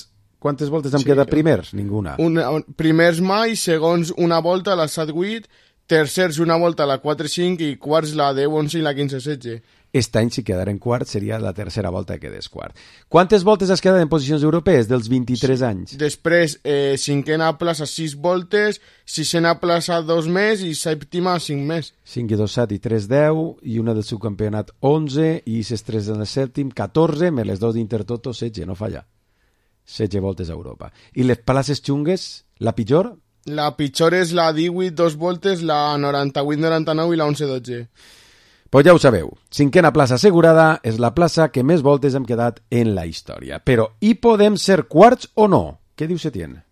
quantes voltes han sí, quedat primers? Ninguna. Una, primers mai, segons una volta a la set vuit, tercers una volta a la quatre cinc i quarts la deu onze i la quinze setze. Aquest any, si quedaren quart, seria la tercera volta que quedés quart. Quantes voltes has quedat en posicions europees dels vint-i-tres sí. anys? Després, eh, cinquena plaça sis voltes, sisena plaça dos més i sèptima cinc més. cinc i dos, set i tres, deu, i una del subcampionat onze, i ses tres en el sèptim, catorze, més les dos d'Intertoto, setze, no falla. setze voltes a Europa. I les places xungues, la pitjor? La pitjor és la divuit, dos voltes, la noranta-vuit noranta-nou i la onze dotze. Pues ja ho sabeu, cinquena plaça assegurada és la plaça que més voltes hem quedat en la història. Però hi podem ser quarts o no? Què diu Setién?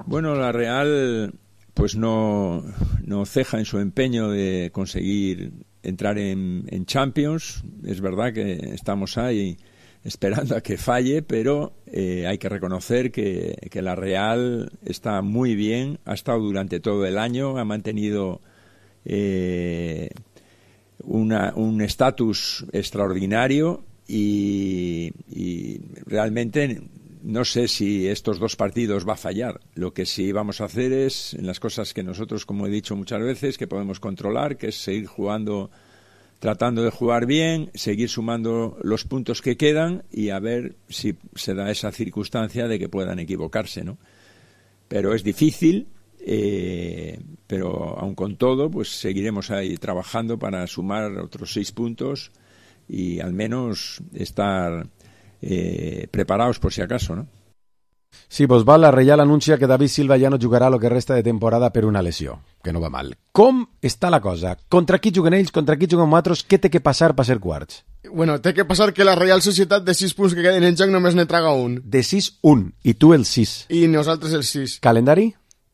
Bueno, la Real pues no, no ceja en su empeño de conseguir entrar en, en Champions. Es verdad que estamos ahí esperando a que falle, pero eh, hay que reconocer que, que la Real está muy bien, ha estado durante todo el año, ha mantenido eh, una, un estatus extraordinario y, y realmente no sé si estos dos partidos va a fallar. Lo que sí vamos a hacer es, en las cosas que nosotros, como he dicho muchas veces, que podemos controlar, que es seguir jugando, tratando de jugar bien, seguir sumando los puntos que quedan y a ver si se da esa circunstancia de que puedan equivocarse, ¿no? Pero es difícil, eh, pero aun con todo, pues seguiremos ahí trabajando para sumar otros seis puntos y al menos estar eh, preparados por si acaso, ¿no? Sí, pues va, la Reial anuncia que David Silva ja no jugarà lo que resta de temporada per una lesió, que no va mal. Com està la cosa? Contra qui juguen ells? Contra qui juguen nosaltres? Què té que passar per ser quarts? Bueno, té que passar que la Reial Societat de sis punts que queden en joc només ne traga un. De sis, un. I tu el sis. I nosaltres el sis. Calendari?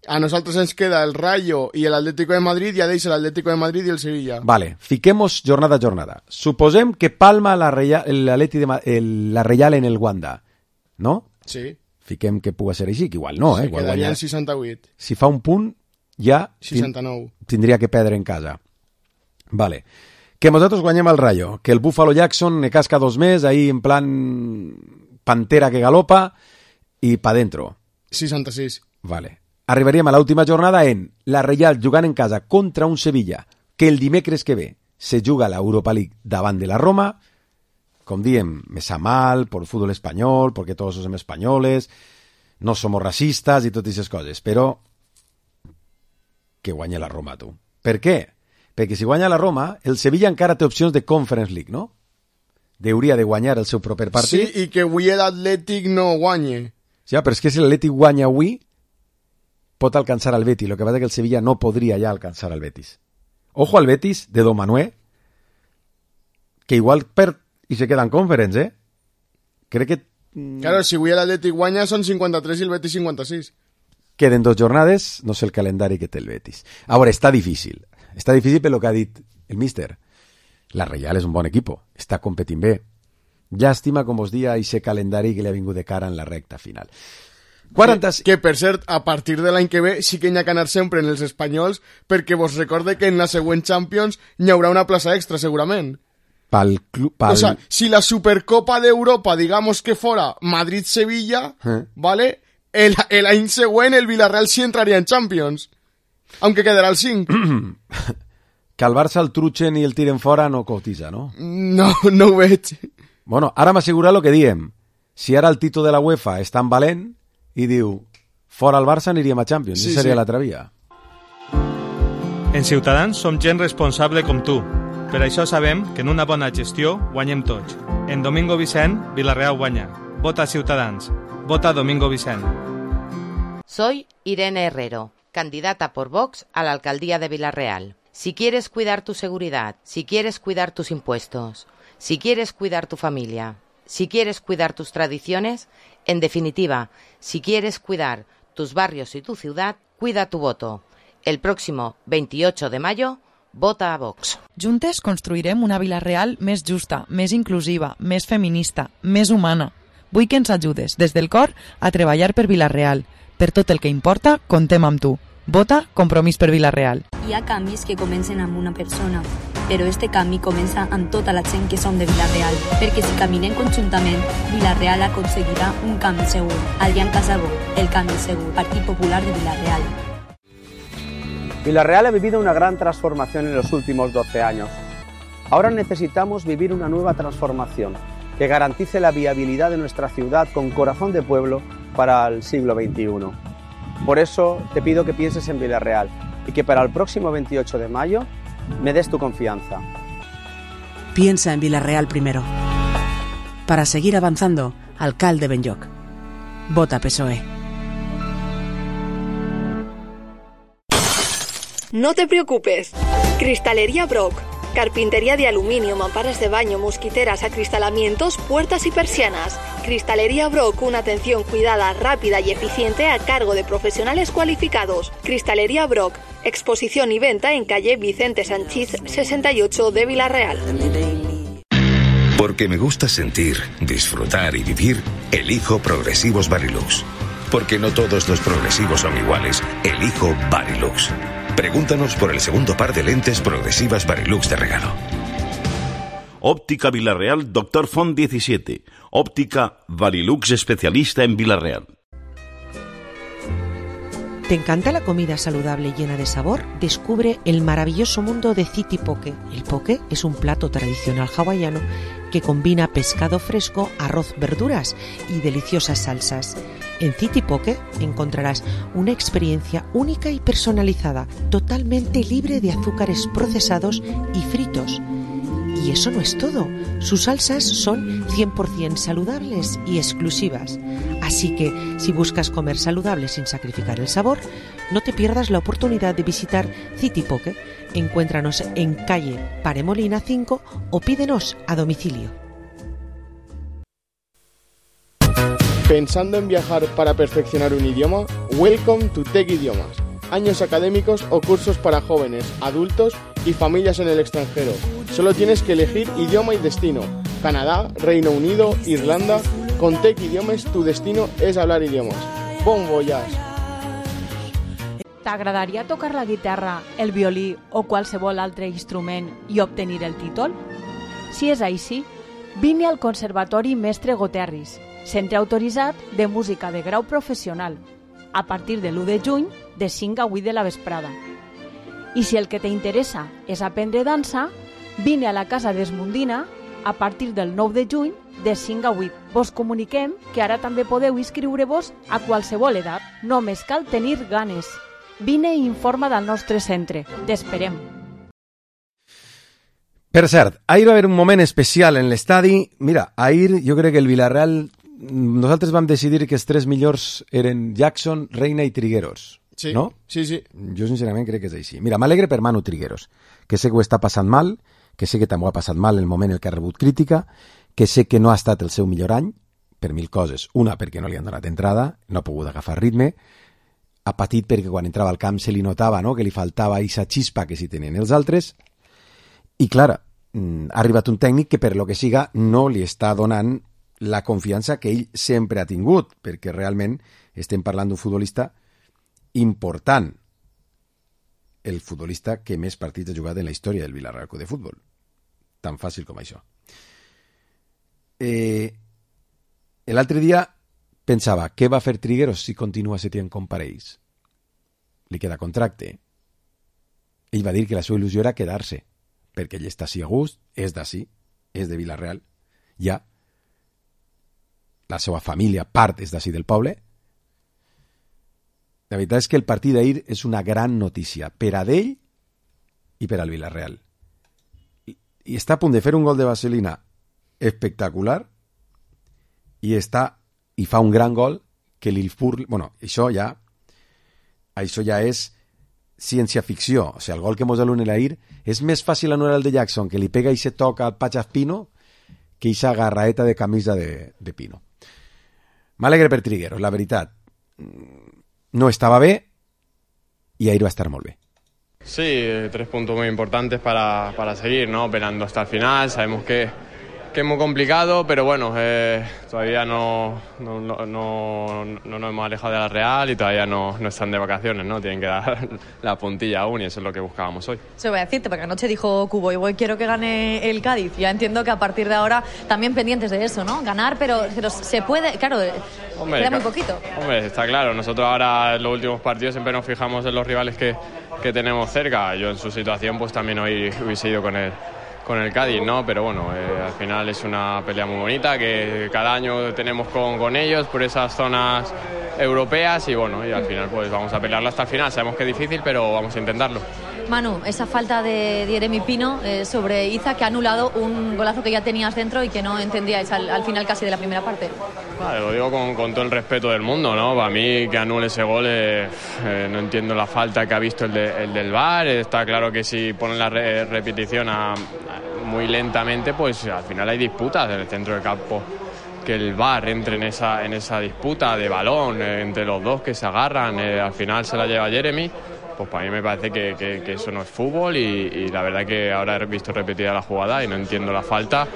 A nosaltres ens queda el Rayo i l'Atlético de Madrid i a d'ells l'Atlético de Madrid i el Sevilla. Vale, fiquemos jornada a jornada. Suposem que palma la Reial, l'Atleti de, el, la Reial en el Wanda, no? Sí. Fiquem que pugui ser així, que igual no, eh? Sí, igual quedaria guanyar. en seixanta-vuit. Si fa un punt, ja seixanta-nou. Tindria que perdre en casa. Vale. Que nosaltres guanyem el Rayo, que el Buffalo Jackson ne casca dos més, ahí en plan pantera que galopa, i pa dentro. seixanta-sis. Vale. Arribaríem a l'última jornada en la Reial jugant en casa contra un Sevilla, que el dimecres que ve se juga la Europa League davant de la Roma. Com diem, me sa mal por el fútbol espanyol, porque todos som espanyoles, no somos racistas i totes aquestes coses, però que guanya la Roma, tu. Per què? Perquè si guanya la Roma, el Sevilla encara té opcions de Conference League, no? Hauria de guanyar el seu proper partit. Sí, i que avui l'Atlètic no guanye. Sí, però és que si l'Atlètic guanya avui, pot alcançar al Betis. Lo que pasa es que el Sevilla no podria ja alcançar al Betis. Ojo al Betis de Domanué, que igual perd i se queda en Conference, eh? Crec que... Claro, si avui l'Atlètic guanya són cinquanta-tres i el Betis cinquanta-sis. Queden dos jornades, no sé el calendari que té el Betis. Ara, està difícil. Està difícil per lo que ha dit el míster. La Reial és un bon equipo, està competint bé. Llàstima, com us dia, ese calendari que li ha vingut de cara en la recta final. quaranta... Que, que, per cert, a partir de l'any que ve sí que n'hi ha que anar sempre en els espanyols, perquè vos recorde que en la següent Champions n'hi haurà una plaça extra, segurament. Pal club, pal... O sea, si la Supercopa de Europa, digamos que fuera Madrid-Sevilla, ¿Eh? ¿vale? El, el año següent el Villarreal sí entraría en Champions, aunque quedará el cinc. Que al Barça el trutxen i el tiren fora no cotiza, no? No, no ho veig. Bueno, ara m'assegura el que diem. Si ara el títol de la UEFA és tan valent i diu, fora el Barça aniríem a Champions, sí, seria sí. l'altra via. En Ciutadans som gent responsable com tu. Per això sabem que en una bona gestió guanyem tots. En Domingo Vicent, Villarreal guanya. Vota Ciutadans. Vota Domingo Vicent. Soy Irene Herrero, candidata por Vox a la alcaldía de Villarreal. Si quieres cuidar tu seguridad, si quieres cuidar tus impuestos, si quieres cuidar tu familia, si quieres cuidar tus tradiciones, en definitiva, si quieres cuidar tus barrios y tu ciudad, cuida tu voto. El próximo veintiocho de mayo, vota a Vox. Juntes construirem una Vila-real més justa, més inclusiva, més feminista, més humana. Vull que ens ajudes, des del cor, a treballar per Vila-real. Per tot el que importa, contem amb tu. Vota Compromís per Vila-real. Hi ha canvis que comencen amb una persona, però este canvi comença amb tota la gent que som de Vila-real, perquè si caminem conjuntament, Vila-real aconseguirà un canvi segur. Adrián Casabó, el canvi segur, Partit Popular de Vila-real. Villarreal ha vivido una gran transformación en los últimos doce años. Ahora necesitamos vivir una nueva transformación que garantice la viabilidad de nuestra ciudad con corazón de pueblo para el siglo veintiuno. Por eso te pido que pienses en Villarreal y que para el próximo veintiocho de mayo me des tu confianza. Piensa en Villarreal primero. Para seguir avanzando, alcalde Benlloc. Vota P S O E. No te preocupes. Cristalería Brock. Carpintería de aluminio, mamparas de baño, mosquiteras, acristalamientos, puertas y persianas. Cristalería Brock, una atención cuidada, rápida y eficiente a cargo de profesionales cualificados. Cristalería Brock, exposición y venta en calle Vicente Sanchís sesenta y ocho de Villarreal. Porque me gusta sentir, disfrutar y vivir, elijo Progresivos Varilux. Porque no todos los progresivos son iguales, elijo Varilux. Pregúntanos por el segundo par de lentes progresivas Varilux de regalo. Óptica Villarreal, Doctor Font diecisiete. Óptica Varilux, especialista en Villarreal. ¿Te encanta la comida saludable llena de sabor? Descubre el maravilloso mundo de City Poke. El poke es un plato tradicional hawaiano que combina pescado fresco, arroz, verduras y deliciosas salsas. En City Poke encontrarás una experiencia única y personalizada, totalmente libre de azúcares procesados y fritos. Y eso no es todo. Sus salsas son cien por ciento saludables y exclusivas. Así que, si buscas comer saludable sin sacrificar el sabor, no te pierdas la oportunidad de visitar City Poke. Encuéntranos en calle Paremolina cinco o pídenos a domicilio. ¿Pensando en viajar para perfeccionar un idioma? Welcome to Tech Idiomas. Años académicos o cursos para jóvenes, adultos y familias en el extranjero. Solo tienes que elegir idioma y destino. Canadá, Reino Unido, Irlanda. Con Tech Idiomes tu destino és hablar idiomes. Bon voyage! T'agradaria tocar la guitarra, el violí o qualsevol altre instrument i obtenir el títol? Si és així, vine al Conservatori Mestre Goterris, centre autoritzat de música de grau professional, a partir de l'u de juny de cinc a vuit de la vesprada. I si el que t'interessa és aprendre dansa, vine a la Casa d'Esmundina a partir del nou de juny de cinc a vuit. Vos comuniquem que ara també podeu inscriure-vos a qualsevol edat. Només cal tenir ganes. Vine i informa del nostre centre. T'esperem. Per cert, ahir va haver un moment especial en l'estadi. Mira, ahir jo crec que el Villarreal, nosaltres vam decidir que els tres millors eren Jackson, Reina i Trigueros. Sí, no? sí, sí. Jo sincerament crec que és així. Mira, m'alegre per Manu Trigueros, que sé que ho està passant mal, que sé que també ho ha passat mal el moment en què ha rebut crítica, que sé que no ha estat el seu millor any, per mil coses. Una, perquè no li han donat entrada, no ha pogut agafar ritme, ha patit perquè quan entrava al camp se li notava, no?, que li faltava aquesta xispa que sí tenen els altres, i clar, ha arribat un tècnic que per lo que siga no li està donant la confiança que ell sempre ha tingut, perquè realment estem parlant d'un futbolista important, el futbolista que més partits ha jugat en la història del Villarreal Club de Futbol. Tan fàcil com això. Eh, L'altre dia pensava, què va fer Trigueros si continua Setién com parells? Li queda contracte. Ell va dir que la seva il·lusió era quedar-se, perquè ell està així a gust, és d'ací, és de Villarreal, ja. La seva família, part, és d'ací del poble. La veritat és que el partit d'ahir és una gran notícia per a d'ell i per al Villarreal. I, i està a punt de fer un gol de vaselina espectacular i està i fa un gran gol que li fur... Bueno, això ja això ja és ciència-ficció. O sigui, el gol que mos alunen ahir és més fàcil anular el de Jackson, que li pega i se toca al Pachas Pino, que eixa garraeta de camisa de, de Pino. M'alegre per Trigueros, la veritat. No estaba bé y ahí va a estar muy bien. Sí, tres puntos muy importantes para, para seguir, ¿no? Peleando hasta el final. Sabemos que, que es muy complicado, pero bueno, eh, todavía no, no, no, no, no nos hemos alejado de la Real y todavía no, no están de vacaciones, ¿no? Tienen que dar la puntilla aún y eso es lo que buscábamos hoy. Se voy a decirte, porque anoche dijo Cubo, igual quiero que gane el Cádiz. Ya entiendo que a partir de ahora también pendientes de eso, ¿no? Ganar, pero, pero se puede, claro, hombre, queda muy poquito. Hombre, está claro, nosotros ahora en los últimos partidos siempre nos fijamos en los rivales que, que tenemos cerca. Yo en su situación pues también hoy hubiese ido con el, con el Cádiz, ¿no? Pero bueno, eh, al final es una pelea muy bonita que cada año tenemos con, con ellos por esas zonas europeas y bueno, y al final pues vamos a pelearlo hasta el final. Sabemos que es difícil, pero vamos a intentarlo. Manu, esa falta de Jeremy Pino eh, sobre Iza, que ha anulado un golazo que ya tenías dentro y que no entendíais al, al final casi de la primera parte. Vale, lo digo con, con todo el respeto del mundo, ¿no? Para mí que anule ese gol, eh, eh, no entiendo la falta que ha visto el, de, el del V A R. Está claro que si ponen la re, repetición a, a, muy lentamente, pues al final hay disputas en el centro del campo. Que el V A R entre en esa, en esa disputa de balón eh, entre los dos que se agarran, eh, al final se la lleva Jeremy. Pues para mí me parece que, que, que eso no es fútbol y, y la verdad que ahora he visto repetida la jugada y no entiendo la falta.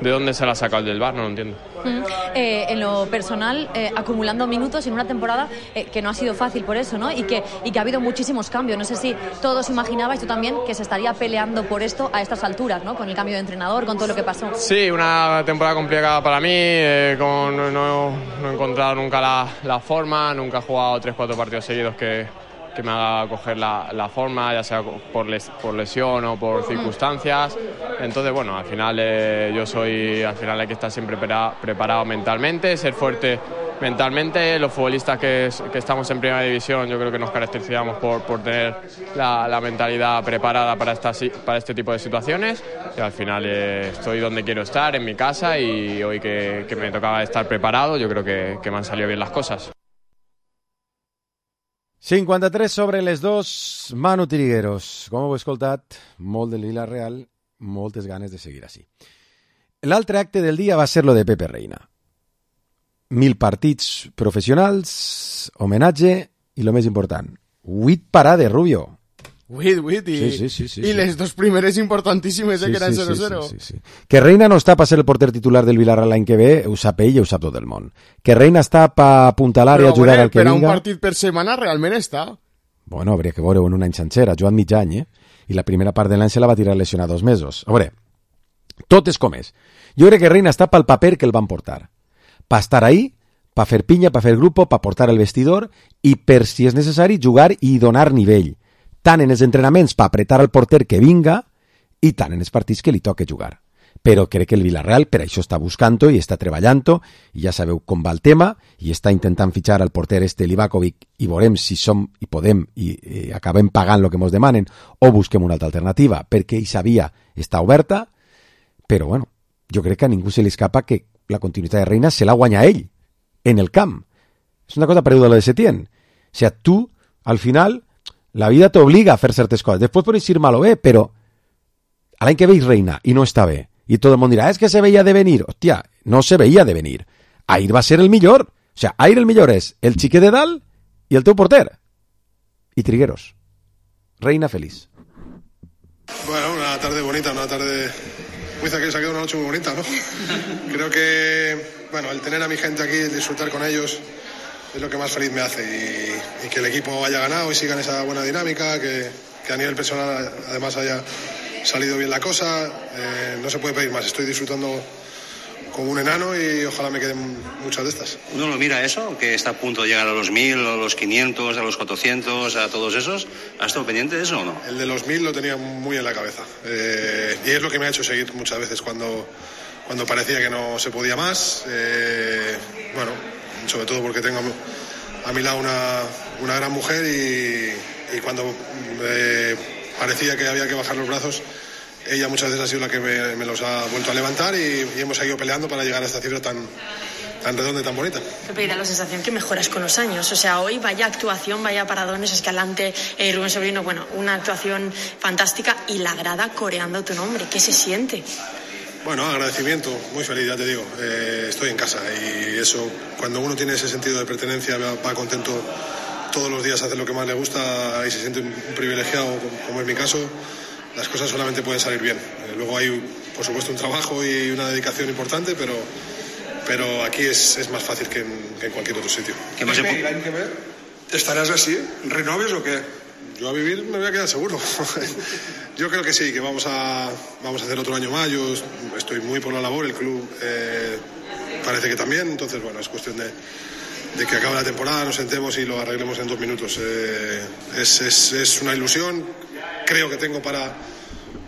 ¿De dónde se la ha sacado el del V A R? No lo entiendo. Mm. Eh, en lo personal, eh, acumulando minutos en una temporada eh, que no ha sido fácil por eso, ¿no? Y que, y que ha habido muchísimos cambios. No sé si todos imaginabais, tú también, que se estaría peleando por esto a estas alturas, ¿no? Con el cambio de entrenador, con todo lo que pasó. Sí, una temporada complicada para mí. Eh, con, no, no he encontrado nunca la, la forma, nunca he jugado tres cuatro partidos seguidos que... que me haga coger la, la forma, ya sea por, les, por lesión o por circunstancias. Entonces, bueno, al final eh, yo soy, al final hay que estar siempre prepara, preparado mentalmente, ser fuerte mentalmente. Los futbolistas que, que estamos en primera división, yo creo que nos caracterizamos por, por tener la, la mentalidad preparada para, esta, para este tipo de situaciones. Y al final eh, estoy donde quiero estar, en mi casa, y hoy que, que me tocaba estar preparado, yo creo que, que me han salido bien las cosas. cinquanta-tres sobre les dos, Manu Trigueros. Com heu escoltat, molt del Villarreal, moltes ganes de seguir així. L'altre acte del dia va ser lo de Pepe Reina. Mil partits professionals, homenatge i lo més important, huit parades, Rubio. Huit, huit, i, sí, sí, sí, sí, i sí. les dos primeres importantíssimes, eh, sí, que eren sí, zero zero. Sí, sí, sí, sí. Que Reina no està per ser el porter titular del Villarreal l'any que ve, ho sap ell i ho sap tot el món. Que Reina està per apuntalar i ajudar al que vinga. Però un vinga. partit per setmana realment està. Bueno, hauria que veure-ho en un any sencer, ha jugat mig any, eh? I la primera part de l'any se la va tirar lesionat dos mesos. A veure, tot és com és. Jo crec que Reina està pel paper que el van portar. Per estar ahí, per fer pinya, per fer grupo, per portar el vestidor i per, si és necessari, jugar i donar nivell. Tant en els entrenaments per apretar al porter que vinga i tant en els partits que li toque jugar. Però crec que el Villarreal per això està buscant-ho i està treballant-ho i ja sabeu com va el tema i està intentant fitxar al porter este Livakovic i veurem si som i podem i eh, acabem pagant el que ens demanen o busquem una altra alternativa perquè aquesta via està oberta, però bueno, jo crec que a ningú se li escapa que la continuïtat de Reina se la guanya ell en el camp. És una cosa parecida a lo de Setién. O sea, tu al final la vida t'obliga a fer certes coses. Després pots ir mal o bé, però a l'any que veig Reina i no està bé, i tot el món dirà, és que se veia de venir. Hòstia, no se veia de venir. Ahir va ser el millor. O sea, ahir el millor és el xiquet de dalt i el teu porter. I Trigueros. Reina feliz. Bueno, una tarde bonita, una tarde... Muy que se ha quedado una noche muy bonita, ¿no? Creo que, bueno, el tener a mi gente aquí, el disfrutar con ellos, es lo que más feliz me hace y, y que el equipo haya ganado y siga en esa buena dinámica, que, que a nivel personal además haya salido bien la cosa, eh, no se puede pedir más. Estoy disfrutando como un enano y ojalá me queden muchas de estas. Uno lo mira eso, que está a punto de llegar a los mil, a los quinientos, a los cuatrocientos, a todos esos. ¿Has estado pendiente de eso o no? El de los mil lo tenía muy en la cabeza eh, y es lo que me ha hecho seguir muchas veces cuando, cuando parecía que no se podía más. Eh, bueno, sobre todo porque tengo a mi lado una, una gran mujer y, y cuando eh, parecía que había que bajar los brazos, ella muchas veces ha sido la que me, me los ha vuelto a levantar y, y hemos seguido peleando para llegar a esta cifra tan, tan redonda y tan bonita. Pepe, da la sensación que mejoras con los años. O sea, hoy vaya actuación, vaya paradones, Escalante, eh, Rubén Sobrino, bueno, una actuación fantástica y la grada coreando tu nombre. ¿Qué se siente? Bueno, agradecimiento, muy feliz, ya te digo, eh, estoy en casa y eso, cuando uno tiene ese sentido de pertenencia, va, va contento todos los días a hacer lo que más le gusta y se siente un, un privilegiado, como es mi caso, las cosas solamente pueden salir bien. Eh, luego hay, por supuesto, un trabajo y una dedicación importante, pero, pero aquí es, es más fácil que en, que en cualquier otro sitio. ¿Qué más se puede? ¿Hay que ver? ¿Estarás así? ¿Renoves o qué? Yo a vivir me voy a quedar seguro. Yo creo que sí, que vamos a, vamos a hacer otro año más. Yo estoy muy por la labor, el club eh, parece que también. Entonces, bueno, es cuestión de, de que acabe la temporada, nos sentemos y lo arreglemos en dos minutos. Eh, es, es, es una ilusión, creo que tengo para,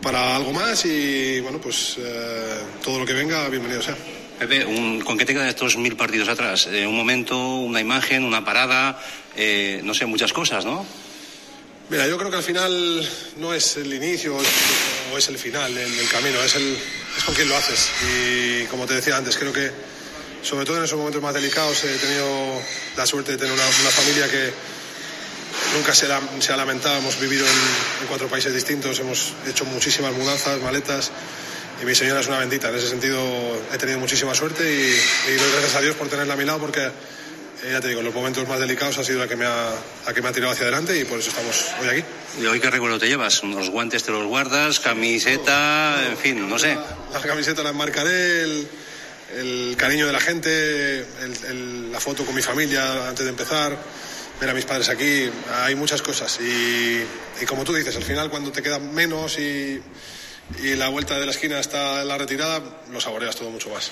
para algo más y, bueno, pues eh, todo lo que venga, bienvenido sea. Pepe, un, ¿con qué te quedan estos mil partidos atrás? Eh, un momento, una imagen, una parada, eh, no sé, muchas cosas, ¿no? Mira, yo creo que al final no es el inicio o es el final del, del camino, es, el, es con quien lo haces. Y como te decía antes, creo que sobre todo en esos momentos más delicados he tenido la suerte de tener una, una familia que nunca se, la, se ha lamentado. Hemos vivido en, en cuatro países distintos, hemos hecho muchísimas mudanzas, maletas, y mi señora es una bendita. En ese sentido he tenido muchísima suerte y, y doy gracias a Dios por tenerla a mi lado, porque eh, ya te digo, en los momentos más delicados ha sido la que, me ha, la que me ha tirado hacia adelante, y por eso estamos hoy aquí. ¿Y hoy qué recuerdo te llevas? ¿Los guantes te los guardas? ¿Camiseta? En fin, no sé. La camiseta la enmarcaré, el, el cariño de la gente, el, el, la foto con mi familia antes de empezar, ver a mis padres aquí, hay muchas cosas. Y, y como tú dices, al final cuando te queda menos y, y la vuelta de la esquina está en la retirada, lo saboreas todo mucho más.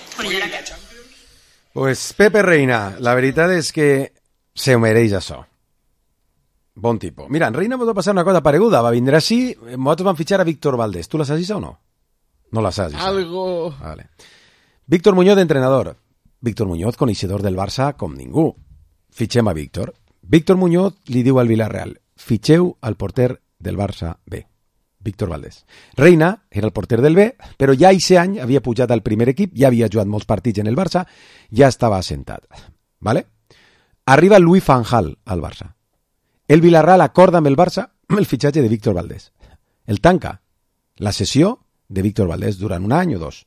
Pues Pepe Reina, la veritat és que se ho mereix això. Bon tipus. Mira, en Reina va passar una cosa pareguda. Va vindre així, nosaltres vam fitxar a Víctor Valdés. Tu la saps o no? No la saps. Algo... Vale. Víctor Muñoz, entrenador. Víctor Muñoz, coneixedor del Barça com ningú. Fitxem a Víctor. Víctor Muñoz li diu al Villarreal: fitxeu al porter del Barça B, Víctor Valdés. Reina era el porter del B, però ja aquest any havia pujat al primer equip, ja havia jugat molts partits en el Barça, ja estava assentat. ¿Vale? Arriba Louis van Gaal al Barça. El Villarreal acorda amb el Barça el fitxatge de Víctor Valdés. El tanca la sessió de Víctor Valdés durant un any o dos.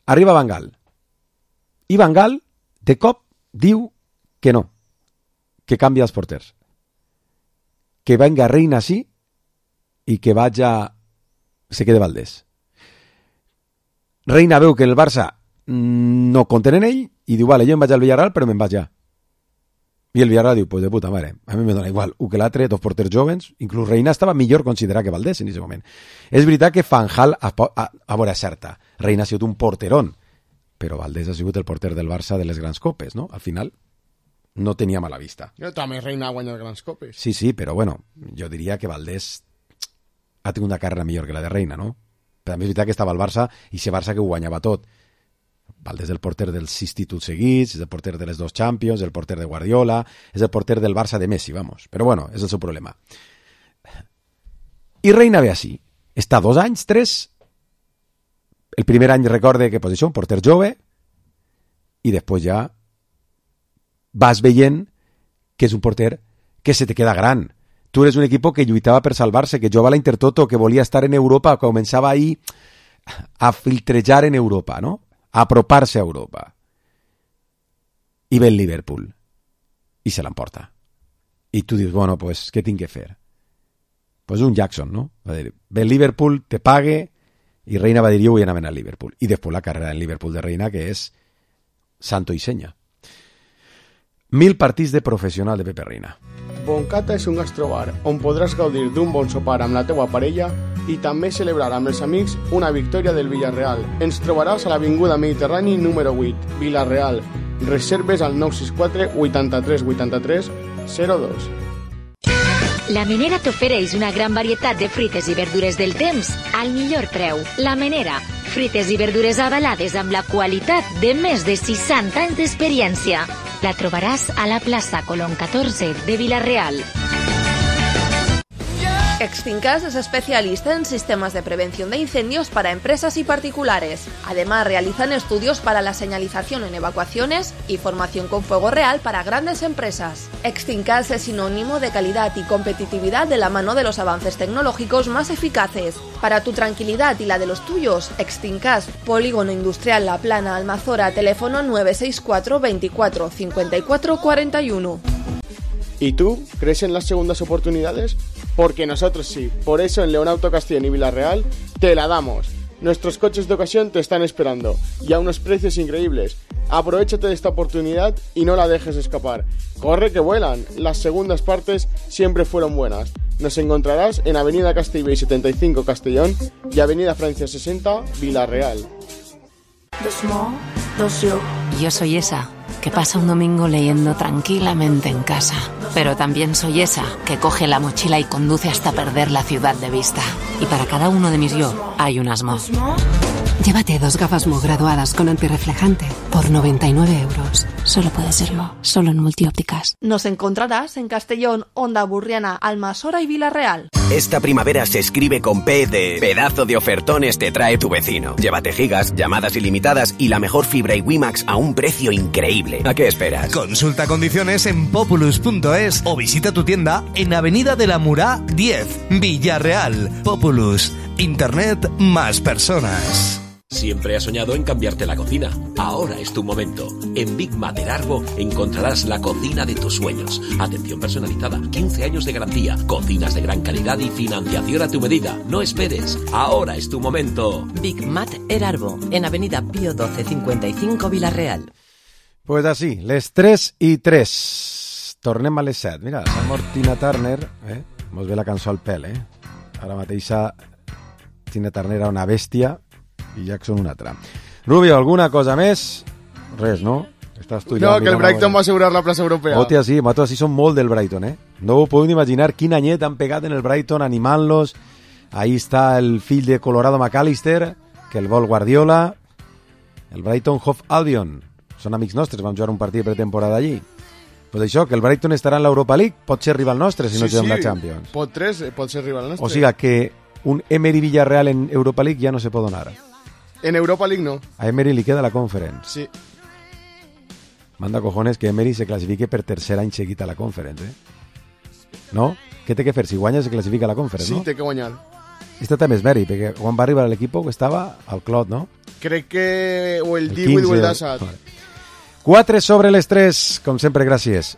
Arriba Van Gaal. I Van Gaal, de cop, diu que no, que canvia els porters. Que venga Reina sí i que vaya... se quede Valdés. Reina veu que el Barça no compten en ell i diu, vale, jo em vaig al Villarreal, però me'n vaig ja. I el Villarreal diu, pues de puta mare, a mi me dona igual. U que l'altre, dos porters jovens, inclús Reina estava millor considerat que Valdés en aquest moment. És veritat que Van Gaal, a, a, a veure, certa, Reina ha sigut un porterón, però Valdés ha sigut el porter del Barça de les grans copes, no? Al final, no tenia mala vista. Jo també Reina ha guanyat grans copes. Sí, sí, però bueno, jo diria que Valdés ha tingut una carrera millor que la de Reina, no? Però també és veritat que estava al Barça i ese Barça que ho guanyava tot. Valdés és el porter dels sis títols seguits, és el porter de les dos Champions, el porter de Guardiola, és el porter del Barça de Messi, vamos. Però bueno, és el seu problema. I Reina ve així. Està dos anys, tres. El primer any recorde que, pues això, un porter jove, i després ja vas veient que és un porter que se te queda gran. Tu eres un equip que lluitava per salvar-se, que jugava a la Intertoto, que volia estar en Europa, que començava ahí a filtrejar en Europa, ¿no? A apropar-se a Europa. I ve el Liverpool. I se l'emporta. I tu dius, bueno, pues, què tinc que fer? Pues un Jackson, ¿no? Va dir, ve el Liverpool, te pague, i Reina va dir, jo vull anar al Liverpool. I després la carrera del Liverpool de Reina, que és santo i senya. Mil partits de professional de Pepe Reina. Boncata és un gastrobar on podràs gaudir d'un bon sopar amb la teua parella i també celebrar amb els amics una victòria del Villarreal. Ens trobaràs a l'Avinguda Mediterrani número vuit, Villarreal. Reserves al nou sis quatre vuitanta-tres vuitanta-tres zero dos. La Menera t'ofereix una gran varietat de fruites i verdures del temps al millor preu. La Menera, fruites i verdures avalades amb la qualitat de més de seixanta anys d'experiència. La trobaràs a la plaça Colón catorze de Villarreal. Extincas es especialista en sistemas de prevención de incendios para empresas y particulares. Además, realizan estudios para la señalización en evacuaciones y formación con fuego real para grandes empresas. Extincas es sinónimo de calidad y competitividad de la mano de los avances tecnológicos más eficaces. Para tu tranquilidad y la de los tuyos, Extincas, Polígono Industrial La Plana, Almazora, teléfono nueve seis cuatro veinticuatro cincuenta y cuatro cuarenta y uno. ¿Y tú crees en las segundas oportunidades? Porque nosotros sí. Por eso en Leonauto Castellón y Villarreal te la damos. Nuestros coches de ocasión te están esperando y a unos precios increíbles. Aprovechate de esta oportunidad y no la dejes escapar. Corre que vuelan. Las segundas partes siempre fueron buenas. Nos encontrarás en Avenida Castellbell setenta y cinco Castellón y Avenida Francia sesenta Villarreal. Dos mo, dos yo. Yo soy esa que pasa un domingo leyendo tranquilamente en casa. Pero también soy esa que coge la mochila y conduce hasta perder la ciudad de vista. Y para cada uno de mis yo hay un asmo. Llévate dos gafas Mo graduadas con antirreflejante por noventa y nueve euros. Solo puede ser Mo, solo en Multiópticas. Nos encontrarás en Castellón, Onda Burriana, Almasora y Villarreal. Esta primavera se escribe con P de pedazo de ofertones te trae tu vecino. Llévate gigas, llamadas ilimitadas y la mejor fibra y WiMax a un precio increíble. ¿A qué esperas? Consulta condiciones en populus punto es o visita tu tienda en Avenida de la Murá diez, Villarreal. Populus, Internet más personas. Siempre has soñado en cambiarte la cocina. Ahora es tu momento. En Big Mater Arbo encontrarás la cocina de tus sueños. Atención personalizada, quince años de garantía, cocinas de gran calidad y financiación a tu medida. No esperes. Ahora es tu momento. Big Mater Arbo, en Avenida Pío doce cincuenta y cinco, Villarreal. Pues así, les tres i tres. Tornem a les set. Mira, s'ha mort Tina Turner, eh? Mos ve la cançó al pèl, eh? Ara mateixa Tina Turner era una bèstia i Jackson una altra. Rubio, alguna cosa més? Res, no? Estàs tu ja no, que el Brighton va assegurar la plaça europea. Hòstia, sí, matos, sí, són molt del Brighton, eh? No ho podeu imaginar quin anyet han pegat en el Brighton animant-los. Ahí està el fill de Colorado McAllister, que el vol Guardiola. El Brighton Hove Albion. Són amics nostres, vam jugar un partit de pretemporada allí. Pues això, que el Brighton estarà en l'Europa League, pot ser rival nostre si no sí, juguem sí. la Champions. Pot tres, pot ser rival nostre. O sigui que un Emery Villarreal en Europa League ja no se pot donar. En Europa League no. A Emery li queda la Conference. Sí. Manda cojones que Emery se classifique per tercer any seguit a la Conference, eh? No? Què té que fer? Si guanya se classifica a la Conference, sí, no? Sí, té que guanyar. Este també és mèrit, perquè quan va arribar a l'equip estava al clot, no? Crec que o el, el divuit o el disset. quatre sobre les tres, com sempre, gràcies.